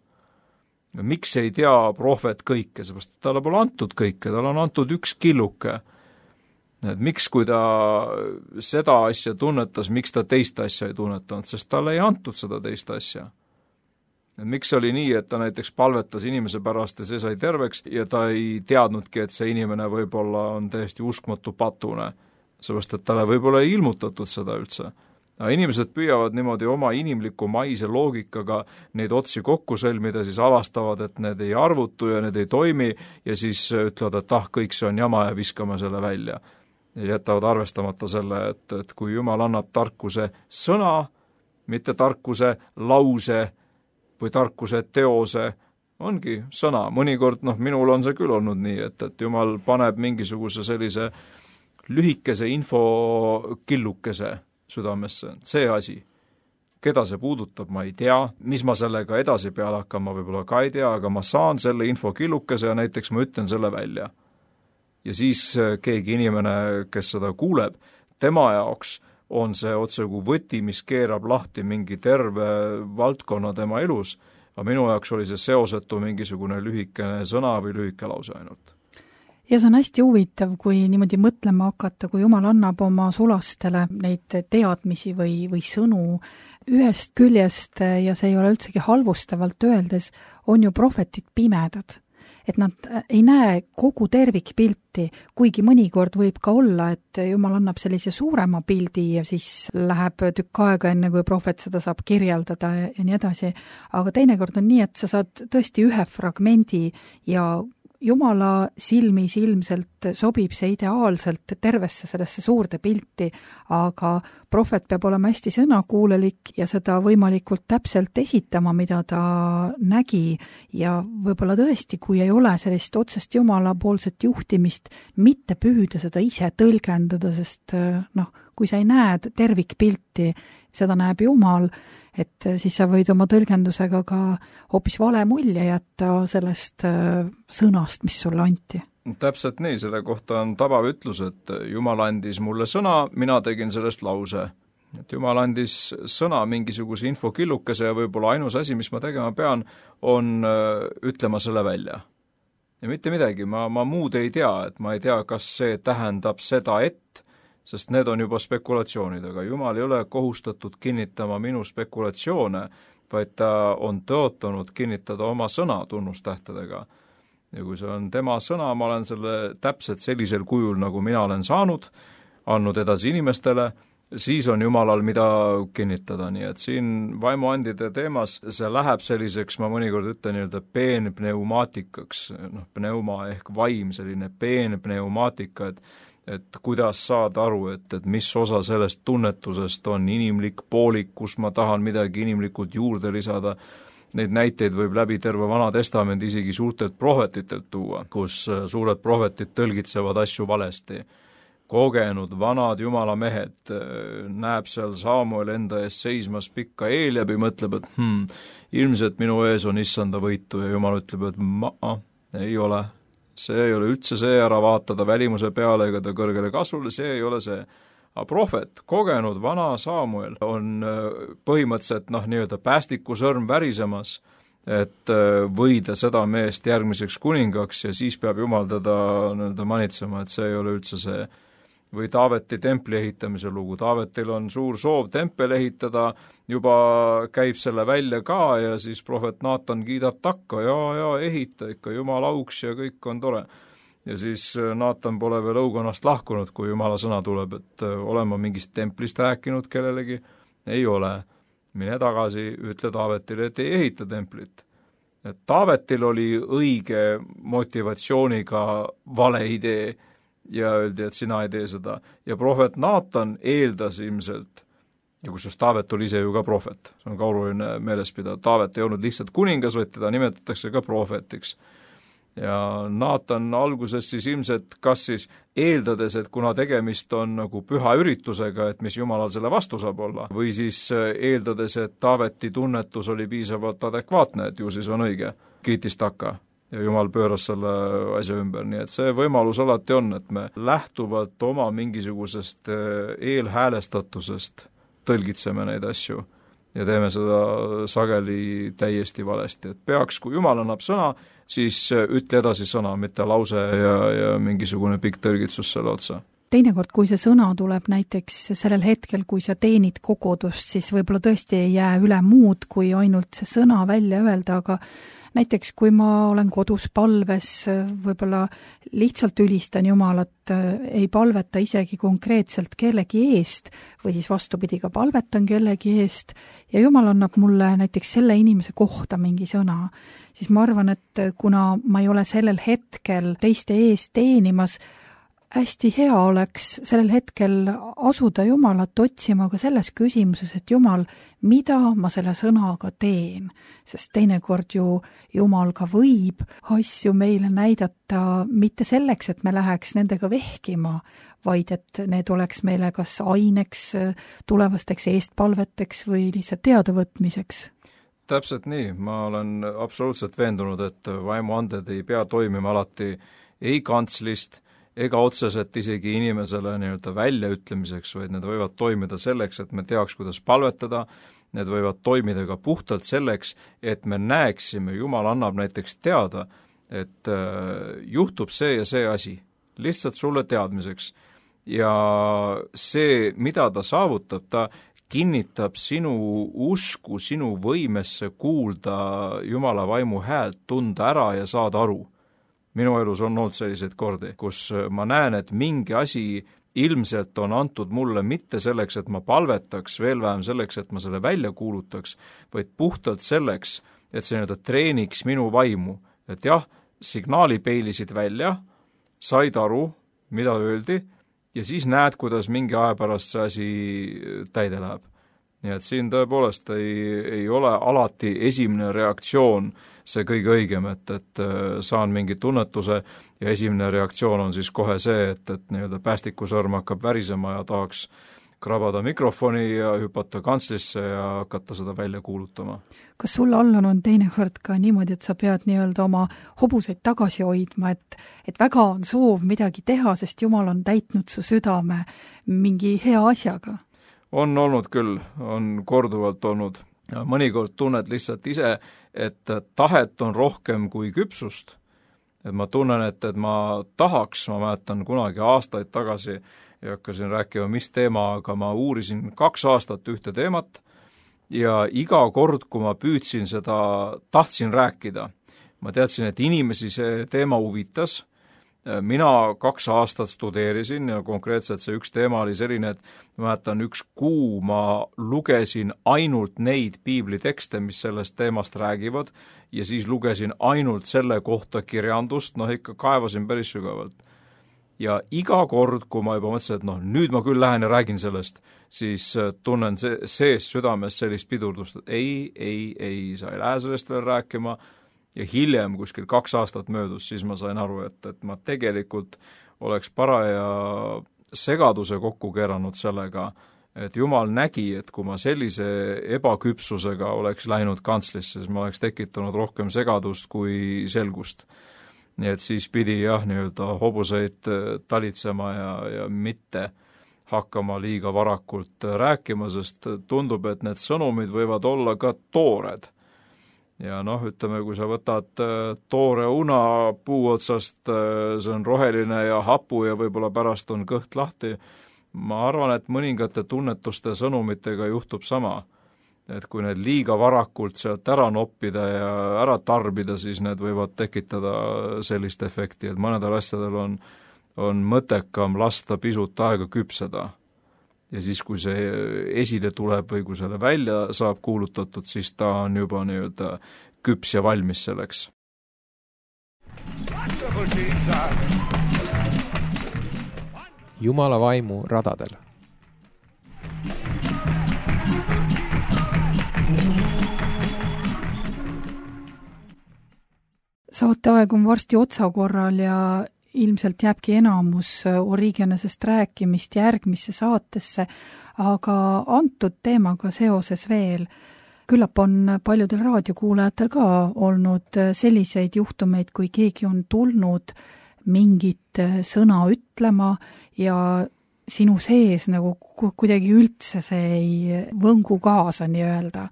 Miks ei tea prohvet kõike, seepärast talle pole antud kõike, talle on antud üks killuke. et miks, kui ta seda asja tunnetas, miks ta teist asja ei tunnetanud, sest talle ei antud seda teist asja. Et miks oli nii, et ta näiteks palvetas inimese pärast ja see sai terveks ja ta ei teadnudki, et see inimene võib-olla on täiesti uskmatu patune, seepärast et talle võib-olla ei ilmutatud seda üldse. Aga inimesed püüavad niimoodi oma inimliku maise loogikaga neid otsi kokku sõlmida, siis avastavad, et need ei arvutu ja need ei toimi ja siis ütlevad, et ah, kõik see on jama ja viskame selle välja. Ja jätavad arvestamata selle, et, et kui Jumal annab tarkuse sõna, mitte tarkuse lause või tarkuse teose, ongi sõna. Mõnikord, noh, minul on see küll olnud nii, et, et Jumal paneb mingisuguse sellise lühikese infokillukese südamesse, see asi. Keda see puudutab, ma ei tea, mis ma sellega edasi peale hakkan, ma võib-olla ka ei tea, aga ma saan selle infokillukese ja näiteks ma ütlen selle välja. Ja siis keegi inimene, kes seda kuuleb, tema jaoks on see otse kui võti, mis keerab lahti mingi terve valdkonna tema elus, aga minu jaoks oli see seosetu mingisugune lühikene sõna või lühike lause ainult. Ja see on hästi huvitav, kui niimoodi mõtlema hakata, kui Jumal annab oma sulastele neid teadmisi või, või sõnu ühest küljest ja see ei ole üldsegi halvustavalt öeldes, on ju prohvetid pimedad. Et nad ei näe kogu tervikpilti, kuigi mõnikord võib ka olla, et Jumal annab sellise suurema pildi ja siis läheb tükk aega enne, kui prohvet seda saab kirjeldada ja, ja nii edasi. Aga teinekord on nii, et sa saad tõesti ühe fragmendi ja Jumala silmis ilmselt sobib see ideaalselt tervesse sellesse suurde pilti, aga prohvet peab olema hästi sõnakuulelik ja seda võimalikult täpselt esitama, mida ta nägi ja võib-olla tõesti, kui ei ole sellist otsest Jumala poolset juhtimist, mitte püüda seda ise tõlgendada, sest noh, kui sa ei näe tervikpilti, seda näeb Jumal, et siis sa võid oma tõlgendusega ka hoopis vale mulje jätta sellest sõnast, mis sulle anti. Täpselt nii, selle kohta on tabav ütlus, et Jumal andis mulle sõna, mina tegin sellest lause. Et Jumal andis sõna mingisuguse infokillukese ja võib-olla ainus asi, mis ma tegema pean, on ütlema selle välja. Ja mitte midagi, ma, ma muud ei tea, et ma ei tea, kas see tähendab seda, et sest need on juba spekulatsioonid, aga Jumal ei ole kohustatud kinnitama minu spekulatsioone, vaid ta on tõotanud kinnitada oma sõna tunnustähtedega. Ja kui see on tema sõna, ma olen selle täpselt sellisel kujul, nagu mina olen saanud, andnud edasi inimestele, siis on Jumalal mida kinnitada, nii et siin vaimuandide teemas see läheb selliseks, ma mõnikord ütlen nii-öelda peenpneumaatikaks, noh, pneuma ehk vaim, selline peenpneumaatika, et et kuidas saada aru, et, et mis osa sellest tunnetusest on inimlik poolik, kus ma tahan midagi inimlikult juurde lisada. Neid näiteid võib läbi terve Vana Testamendi isegi suurtelt prohvetitelt tuua, kus suured prohvetid tõlgitsevad asju valesti. Kogenud vanad Jumala mehed näeb seal Saamuel enda ees seismas pikka Eeljabi, mõtleb, et hmm, ilmselt minu ees on issanda võitu ja Jumal ütleb, et ma, ei ole. See ei ole üldse see, ära vaatada välimuse peale ega ta kõrgele kasvule, see ei ole see. Aga prohvet, kogenud vana Saamuel on põhimõtteliselt noh, nii-öelda päästiku sõrm värisemas, et võida seda meest järgmiseks kuningaks ja siis peab Jumal teda nii-öelda manitsema, et see ei ole üldse see. Või Taaveti templi ehitamise lugu. Taavetil on suur soov tempel ehitada, juba käib selle välja ka ja siis prohvet Naatan kiidab takka, ja, ja ehita ikka, Jumal auks ja kõik on tore. Ja siis Naatan pole veel õukonnast lahkunud, kui Jumala sõna tuleb, et olen ma mingist templist rääkinud kellelegi, ei ole. Mine tagasi, ütle Taavetile, et ei ehita templit. Et Taavetil oli õige motivatsiooniga vale idee, ja öeldi, et sina ei tee seda. Ja prohvet Naatan eeldas ilmselt, ja kusjuures Taavet oli ise ju ka prohvet, see on ka oluline meeles pidada, Taavet ei olnud lihtsalt kuningas, vaid teda nimetatakse ka prohvetiks. Ja Naatan alguses siis ilmselt kas siis eeldades, et kuna tegemist on nagu püha üritusega, et mis Jumalal selle vastu saab olla, või siis eeldades, et Taaveti tunnetus oli piisavalt adekvaatne, et ju siis on õige, kiitis takka. Ja Jumal pööras selle asja ümber, nii et see võimalus alati on, et me lähtuvalt oma mingisugusest eelhäälestatusest tõlgitseme neid asju ja teeme seda sageli täiesti valesti, et peaks, kui Jumal annab sõna, siis ütle edasi sõna, mitte lause ja, ja mingisugune pikk tõlgitsus selle otsa. teinekord, kui see sõna tuleb näiteks sellel hetkel, kui sa teenid kogudust, siis võib-olla tõesti ei jää üle muud, kui ainult see sõna välja öelda, aga näiteks kui ma olen kodus palves, võib-olla lihtsalt ülistan Jumalat, ei palveta isegi konkreetselt kellegi eest või siis vastupidi ka palvetan kellegi eest ja Jumal annab mulle näiteks selle inimese kohta mingi sõna, siis ma arvan, et kuna ma ei ole sellel hetkel teiste eest teenimas, hästi hea oleks sellel hetkel asuda Jumalat otsima ka selles küsimuses, et Jumal, mida ma selle sõnaga teen, sest teinekord ju Jumal ka võib asju meile näidata mitte selleks, et me läheks nendega vehkima, vaid et need oleks meile kas aineks, tulevasteks eestpalveteks või lihtsalt teadavõtmiseks. Täpselt nii, ma olen absoluutselt veendunud, et vaimuanded ei pea toimima alati ei kantslist, ega otseselt isegi inimesele nii-öelda väljaütlemiseks, vaid need võivad toimida selleks, et me teaks, kuidas palvetada, need võivad toimida ka puhtalt selleks, et me näeksime, Jumal annab näiteks teada, et äh, juhtub see ja see asi, lihtsalt sulle teadmiseks. Ja see, mida ta saavutab, ta kinnitab sinu usku, sinu võimesse kuulda Jumala vaimu häält, tunda ära ja saada aru. Minu elus on olnud selliseid kordi, kus ma näen, et mingi asi ilmselt on antud mulle mitte selleks, et ma palvetaks, veel vähem selleks, et ma selle välja kuulutaks, vaid puhtalt selleks, et see nii-öelda treeniks minu vaimu. Et jah, signaali peilisid välja, said aru, mida öeldi, ja siis näed, kuidas mingi aja pärast see asi täide läheb. Nii et siin tõepoolest ei, ei ole alati esimene reaktsioon see kõige õigem, et, et saan mingi tunnetuse ja esimene reaktsioon on siis kohe see, et, et nii-öelda päästikusõrm hakkab värisema ja tahaks krabada mikrofoni ja hüpata kantslisse ja hakata seda välja kuulutama. Kas sul Allan on teinekord ka niimoodi, et sa pead nii-öelda oma hobuseid tagasi hoidma, et, et väga on soov midagi teha, sest Jumal on täitnud su südame mingi hea asjaga? On olnud küll, on korduvalt olnud. Mõnikord tunned lihtsalt ise, et tahet on rohkem kui küpsust. Et ma tunnen, et, et ma tahaks, ma mäletan kunagi aastaid tagasi ja hakkasin rääkima, mis teema, aga ma uurisin kaks aastat ühte teemat ja iga kord, kui ma püüdsin seda, tahtsin rääkida. Ma teadsin, et inimesi see teema huvitas. Mina kaks aastat studeerisin ja konkreetselt see üks teema oli selline, et ma mäletan üks kuu ma lugesin ainult neid piiblitekste, mis sellest teemast räägivad ja siis lugesin ainult selle kohta kirjandust, noh ikka kaevasin päris sügavalt. Ja iga kord, kui ma juba mõtlesin, et noh, nüüd ma küll lähen ja räägin sellest, siis tunnen see, sees südames sellist pidurdust, et ei, ei, ei, sa ei lähe sellest veel rääkima. Ja hiljem, kuskil kaks aastat möödus, siis ma sain aru, et, et ma tegelikult oleks paraja segaduse kokku keeranud sellega, et Jumal nägi, et kui ma sellise ebaküpsusega oleks läinud kantslisse, siis ma oleks tekitanud rohkem segadust kui selgust. Nii et siis pidi jah, nii-öelda hobuseid talitsema ja, ja mitte hakkama liiga varakult rääkima, sest tundub, et need sõnumid võivad olla ka toored. Ja noh, ütleme, kui sa võtad toore una puu otsast, see on roheline ja hapu ja võib-olla pärast on kõht lahti, ma arvan, et mõningate tunnetuste sõnumitega juhtub sama. Et kui need liiga varakult sealt ära noppida ja ära tarbida, siis need võivad tekitada sellist efekti, et mõnedel asjadel on, on mõttekam lasta pisut aega küpseda. Ja siis, kui see esile tuleb või kui selle välja saab kuulutatud, siis ta on juba nii-öelda küps ja valmis selleks. Jumala vaimu radadel. Saateaeg on varsti otsakorral ja ilmselt jääbki enamus Origenesest rääkimist järgmisse saatesse, aga antud teemaga seoses veel. Küllap on paljudel raadiokuulajatel ka olnud selliseid juhtumeid, kui keegi on tulnud mingit sõna ütlema ja sinu sees nagu kuidagi üldse see ei võngu kaasa nii-öelda.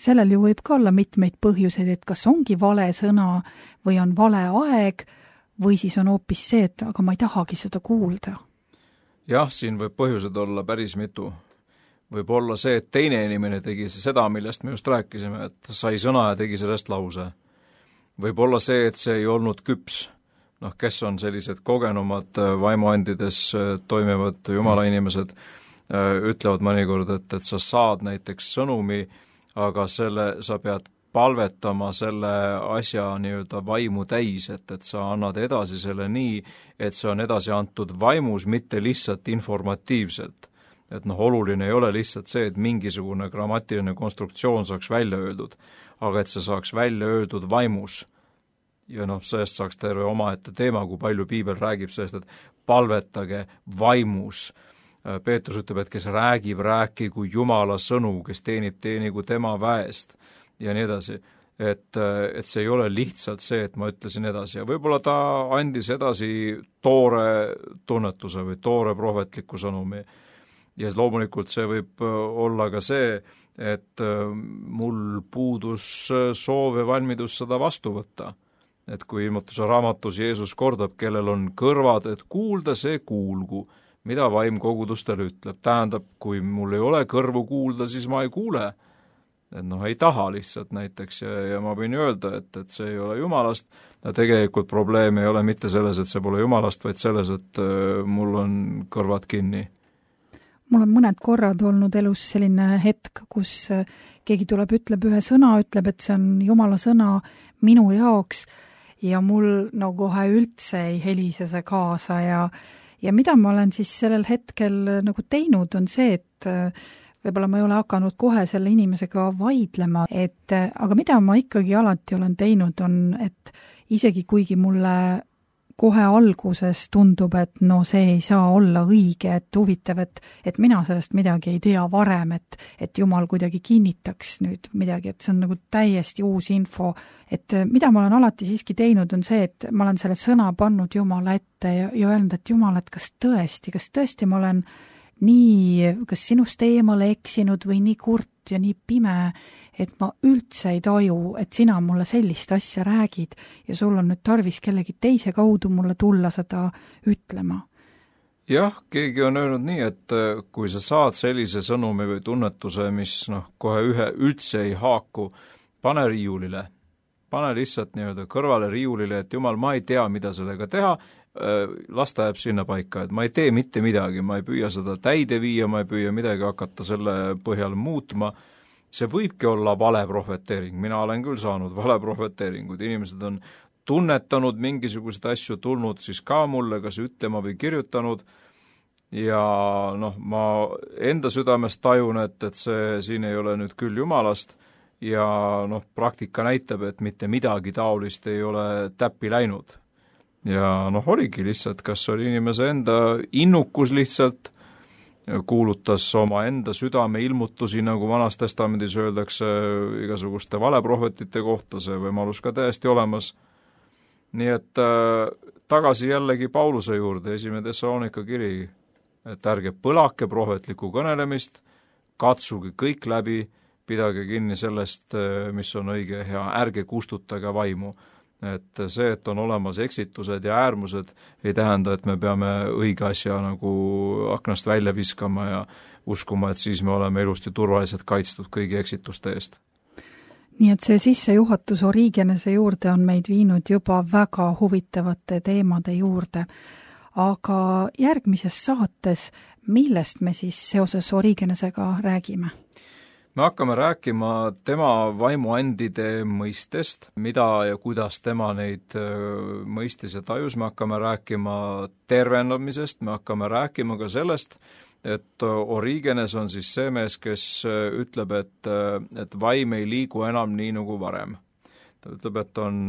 Sellel ju võib ka olla mitmeid põhjuseid, et kas ongi vale sõna või on vale aeg, või siis on hoopis see, et aga ma ei tahagi seda kuulda. jah, siin võib põhjused olla päris mitu. Võib olla see, et teine inimene tegi seda, millest me just rääkisime, et sai sõna ja tegi sellest lause. Võib olla see, et see ei olnud küps. Noh, kes on sellised kogenumad vaimuandides toimivad jumala inimesed, ütlevad mõnikord, et, et sa saad näiteks sõnumi, aga selle sa pead palvetama selle asja nii-öelda vaimu täis, et, et sa annad edasi selle nii, et see on edasi antud vaimus, mitte lihtsalt informatiivselt. Et noh, oluline ei ole lihtsalt see, et mingisugune grammatiline konstruktsioon saaks välja öeldud, aga et see saaks välja öeldud vaimus. Ja noh, sellest saaks terve omaette teema, kui palju piibel räägib sellest, et palvetage vaimus. Peetrus ütleb, et kes räägib, rääkigu Jumala sõnu, kes teenib, teenigu tema väest ja nii edasi. Et, et see ei ole lihtsalt see, et ma ütlesin edasi. Ja võib-olla ta andis edasi toore tunnetuse või toore prohvetliku sõnumi. Ja loomulikult see võib olla ka see, et mul puudus soov ja valmidus seda vastu võtta. Et kui ilmutuse raamatus Jeesus kordab, kellel on kõrvad, et kuulda, see kuulgu, mida vaim kogudustele ütleb. Tähendab, kui mul ei ole kõrvu kuulda, siis ma ei kuule. Et noh, ei taha lihtsalt näiteks ja, ja ma võin öelda, et, et see ei ole Jumalast. Ja tegelikult probleem ei ole mitte selles, et see pole Jumalast, vaid selles, et mul on kõrvad kinni. Mul on mõned korrad olnud elus selline hetk, kus keegi tuleb, ütleb ühe sõna, ütleb, et see on Jumala sõna minu jaoks ja mul no kohe üldse ei helise see kaasa ja, ja mida ma olen siis sellel hetkel nagu teinud, on see, et võib-olla ma ei ole hakanud kohe selle inimesega vaidlema, et aga mida ma ikkagi alati olen teinud, on, et isegi kuigi mulle kohe alguses tundub, et no see ei saa olla õige, et huvitav, et, et mina sellest midagi ei tea varem, et, et Jumal kuidagi kinnitaks nüüd midagi, et see on nagu täiesti uus info, et mida ma olen alati siiski teinud, on see, et ma olen selle sõna pannud Jumala ette ja, ja öelnud, et Jumal, et kas tõesti, kas tõesti ma olen nii, kas sinust eemale eksinud või nii kurt ja nii pime, et ma üldse ei taju, et sina mulle sellist asja räägid ja sul on nüüd tarvis kellegi teise kaudu mulle tulla seda ütlema. Jah, keegi on öelnud nii, et kui sa saad sellise sõnumi või tunnetuse, mis noh, kohe ühe üldse ei haaku, pane riiulile. Pane lihtsalt nii-öelda kõrvale riiulile, et Jumal, ma ei tea, mida sellega teha, las ta jääb sinna paika, et ma ei tee mitte midagi, ma ei püüa seda täide viia, ma ei püüa midagi hakata selle põhjal muutma. See võibki olla vale prohveteering, mina olen küll saanud vale prohveteeringud, inimesed on tunnetanud mingisugused asju, tulnud siis ka mulle, kas ütlema või kirjutanud ja noh, ma enda südames tajun, et, et see siin ei ole nüüd küll Jumalast ja noh, praktika näitab, et mitte midagi taolist ei ole täppi läinud. Ja noh, oligi lihtsalt, kas oli inimese enda innukus lihtsalt, kuulutas oma enda südame ilmutusi, nagu Vanas Testamendis öeldakse igasuguste valeprohvetite kohta, see võimalus ka täiesti olemas. Nii et äh, tagasi jällegi Pauluse juurde, esimene Thessalonika kiri, et ärge põlake prohvetlikku kõnelemist, katsuge kõik läbi, pidage kinni sellest, mis on õige ja ärge kustutage vaimu. Et see, et on olemas eksitused ja äärmused, ei tähenda, et me peame õige asja nagu aknast välja viskama ja uskuma, et siis me oleme ilusti turvaliselt kaitstud kõigi eksituste eest. Nii et see sissejuhatus Origenese juurde on meid viinud juba väga huvitavate teemade juurde. Aga järgmises saates, millest me siis seoses Origenesega räägime? Me hakkame rääkima tema vaimuandide mõistest, mida ja kuidas tema neid mõistis ja tajus, me hakkame rääkima tervendamisest, me hakkame rääkima ka sellest, et Origenes on siis see mees, kes ütleb, et, et vaim ei liigu enam nii nagu varem. Ta ütleb, et on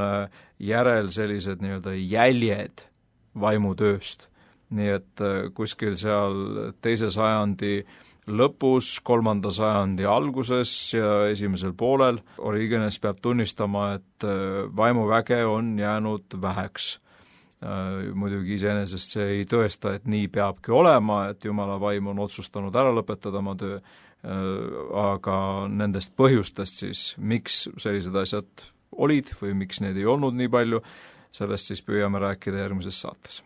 järel sellised nii-öelda jäljed vaimutööst, nii et kuskil seal teise sajandi lõpus, kolmanda sajandi alguses ja esimesel poolel Origenes peab tunnistama, et vaimuväge on jäänud väheks. Muidugi iseenesest see ei tõesta, et nii peabki olema, et Jumala vaim on otsustanud ära lõpetada oma töö, aga nendest põhjustest siis, miks sellised asjad olid või miks neid ei olnud nii palju, sellest siis püüame rääkida järgmises saates.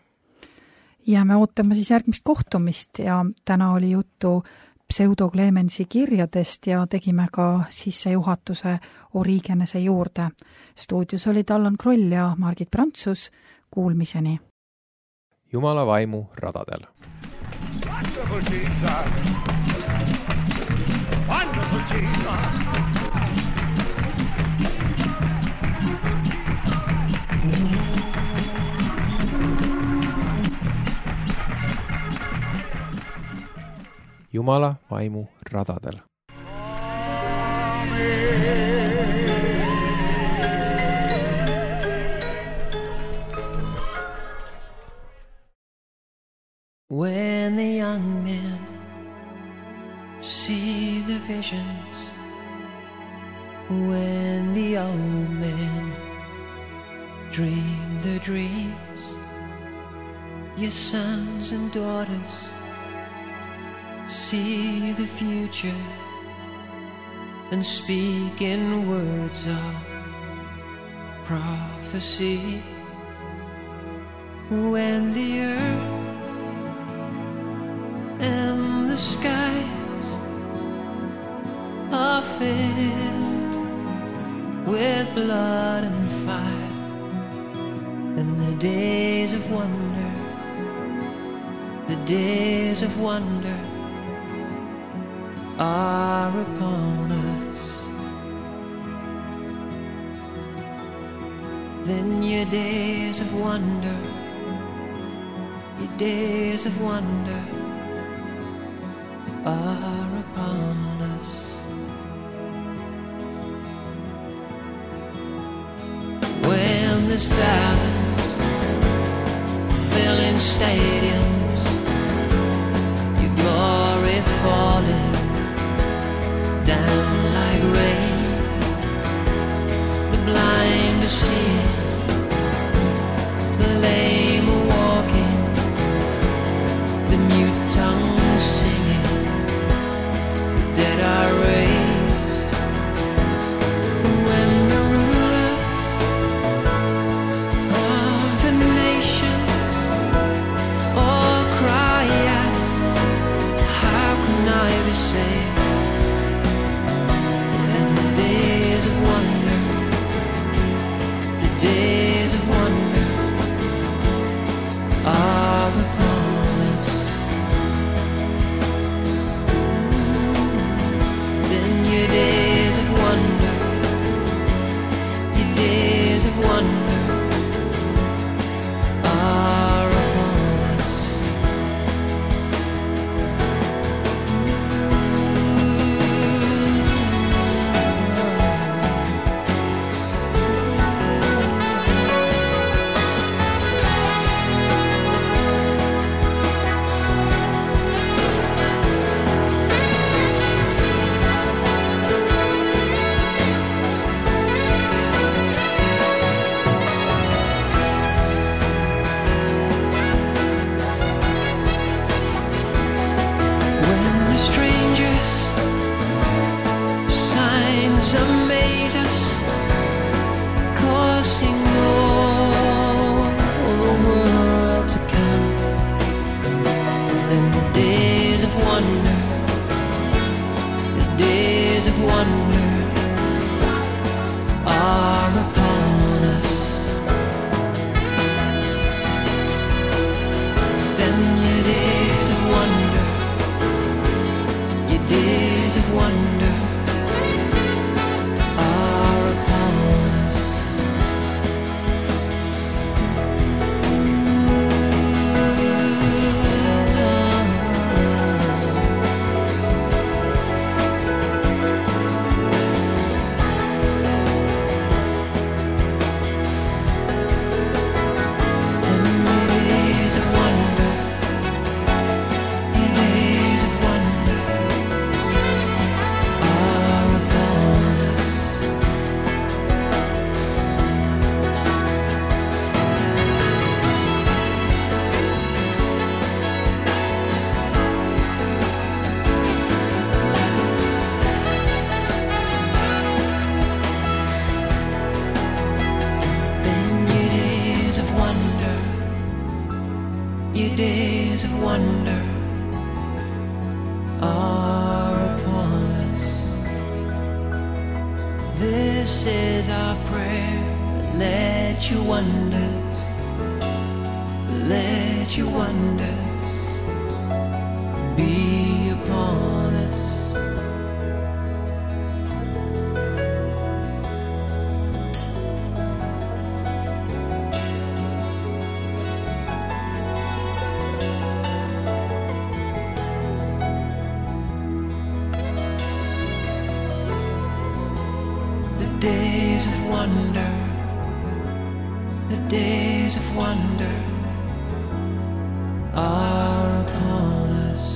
ja me ootame siis järgmist kohtumist ja täna oli juttu Pseudo Clemensi kirjadest ja tegime ka sissejuhatuse Origenese juurde. Stuudios olid Allan Kroll ja Margit Prantsus. Kuulmiseni. Jumala vaimu radadel. Wonderful Jesus. Wonderful Jesus. Jumala vaimu radadel. When the young men see the visions, when the old men dream the dreams, your sons and daughters see the future and speak in words of prophecy. When the earth and the skies are filled with blood and fire, and the days of wonder, the days of wonder are upon us, then your days of wonder, your days of wonder are upon us. When there's thousands filling stadiums, your glory falling down like rain, the blind to see, the lame are walking, the mute tongues singing, the dead are raised. When the rulers of the nations all Your days of wonder are upon us. This is our prayer. Let your wonders, let your wonders be upon us. Days of wonder, the days of wonder are upon us.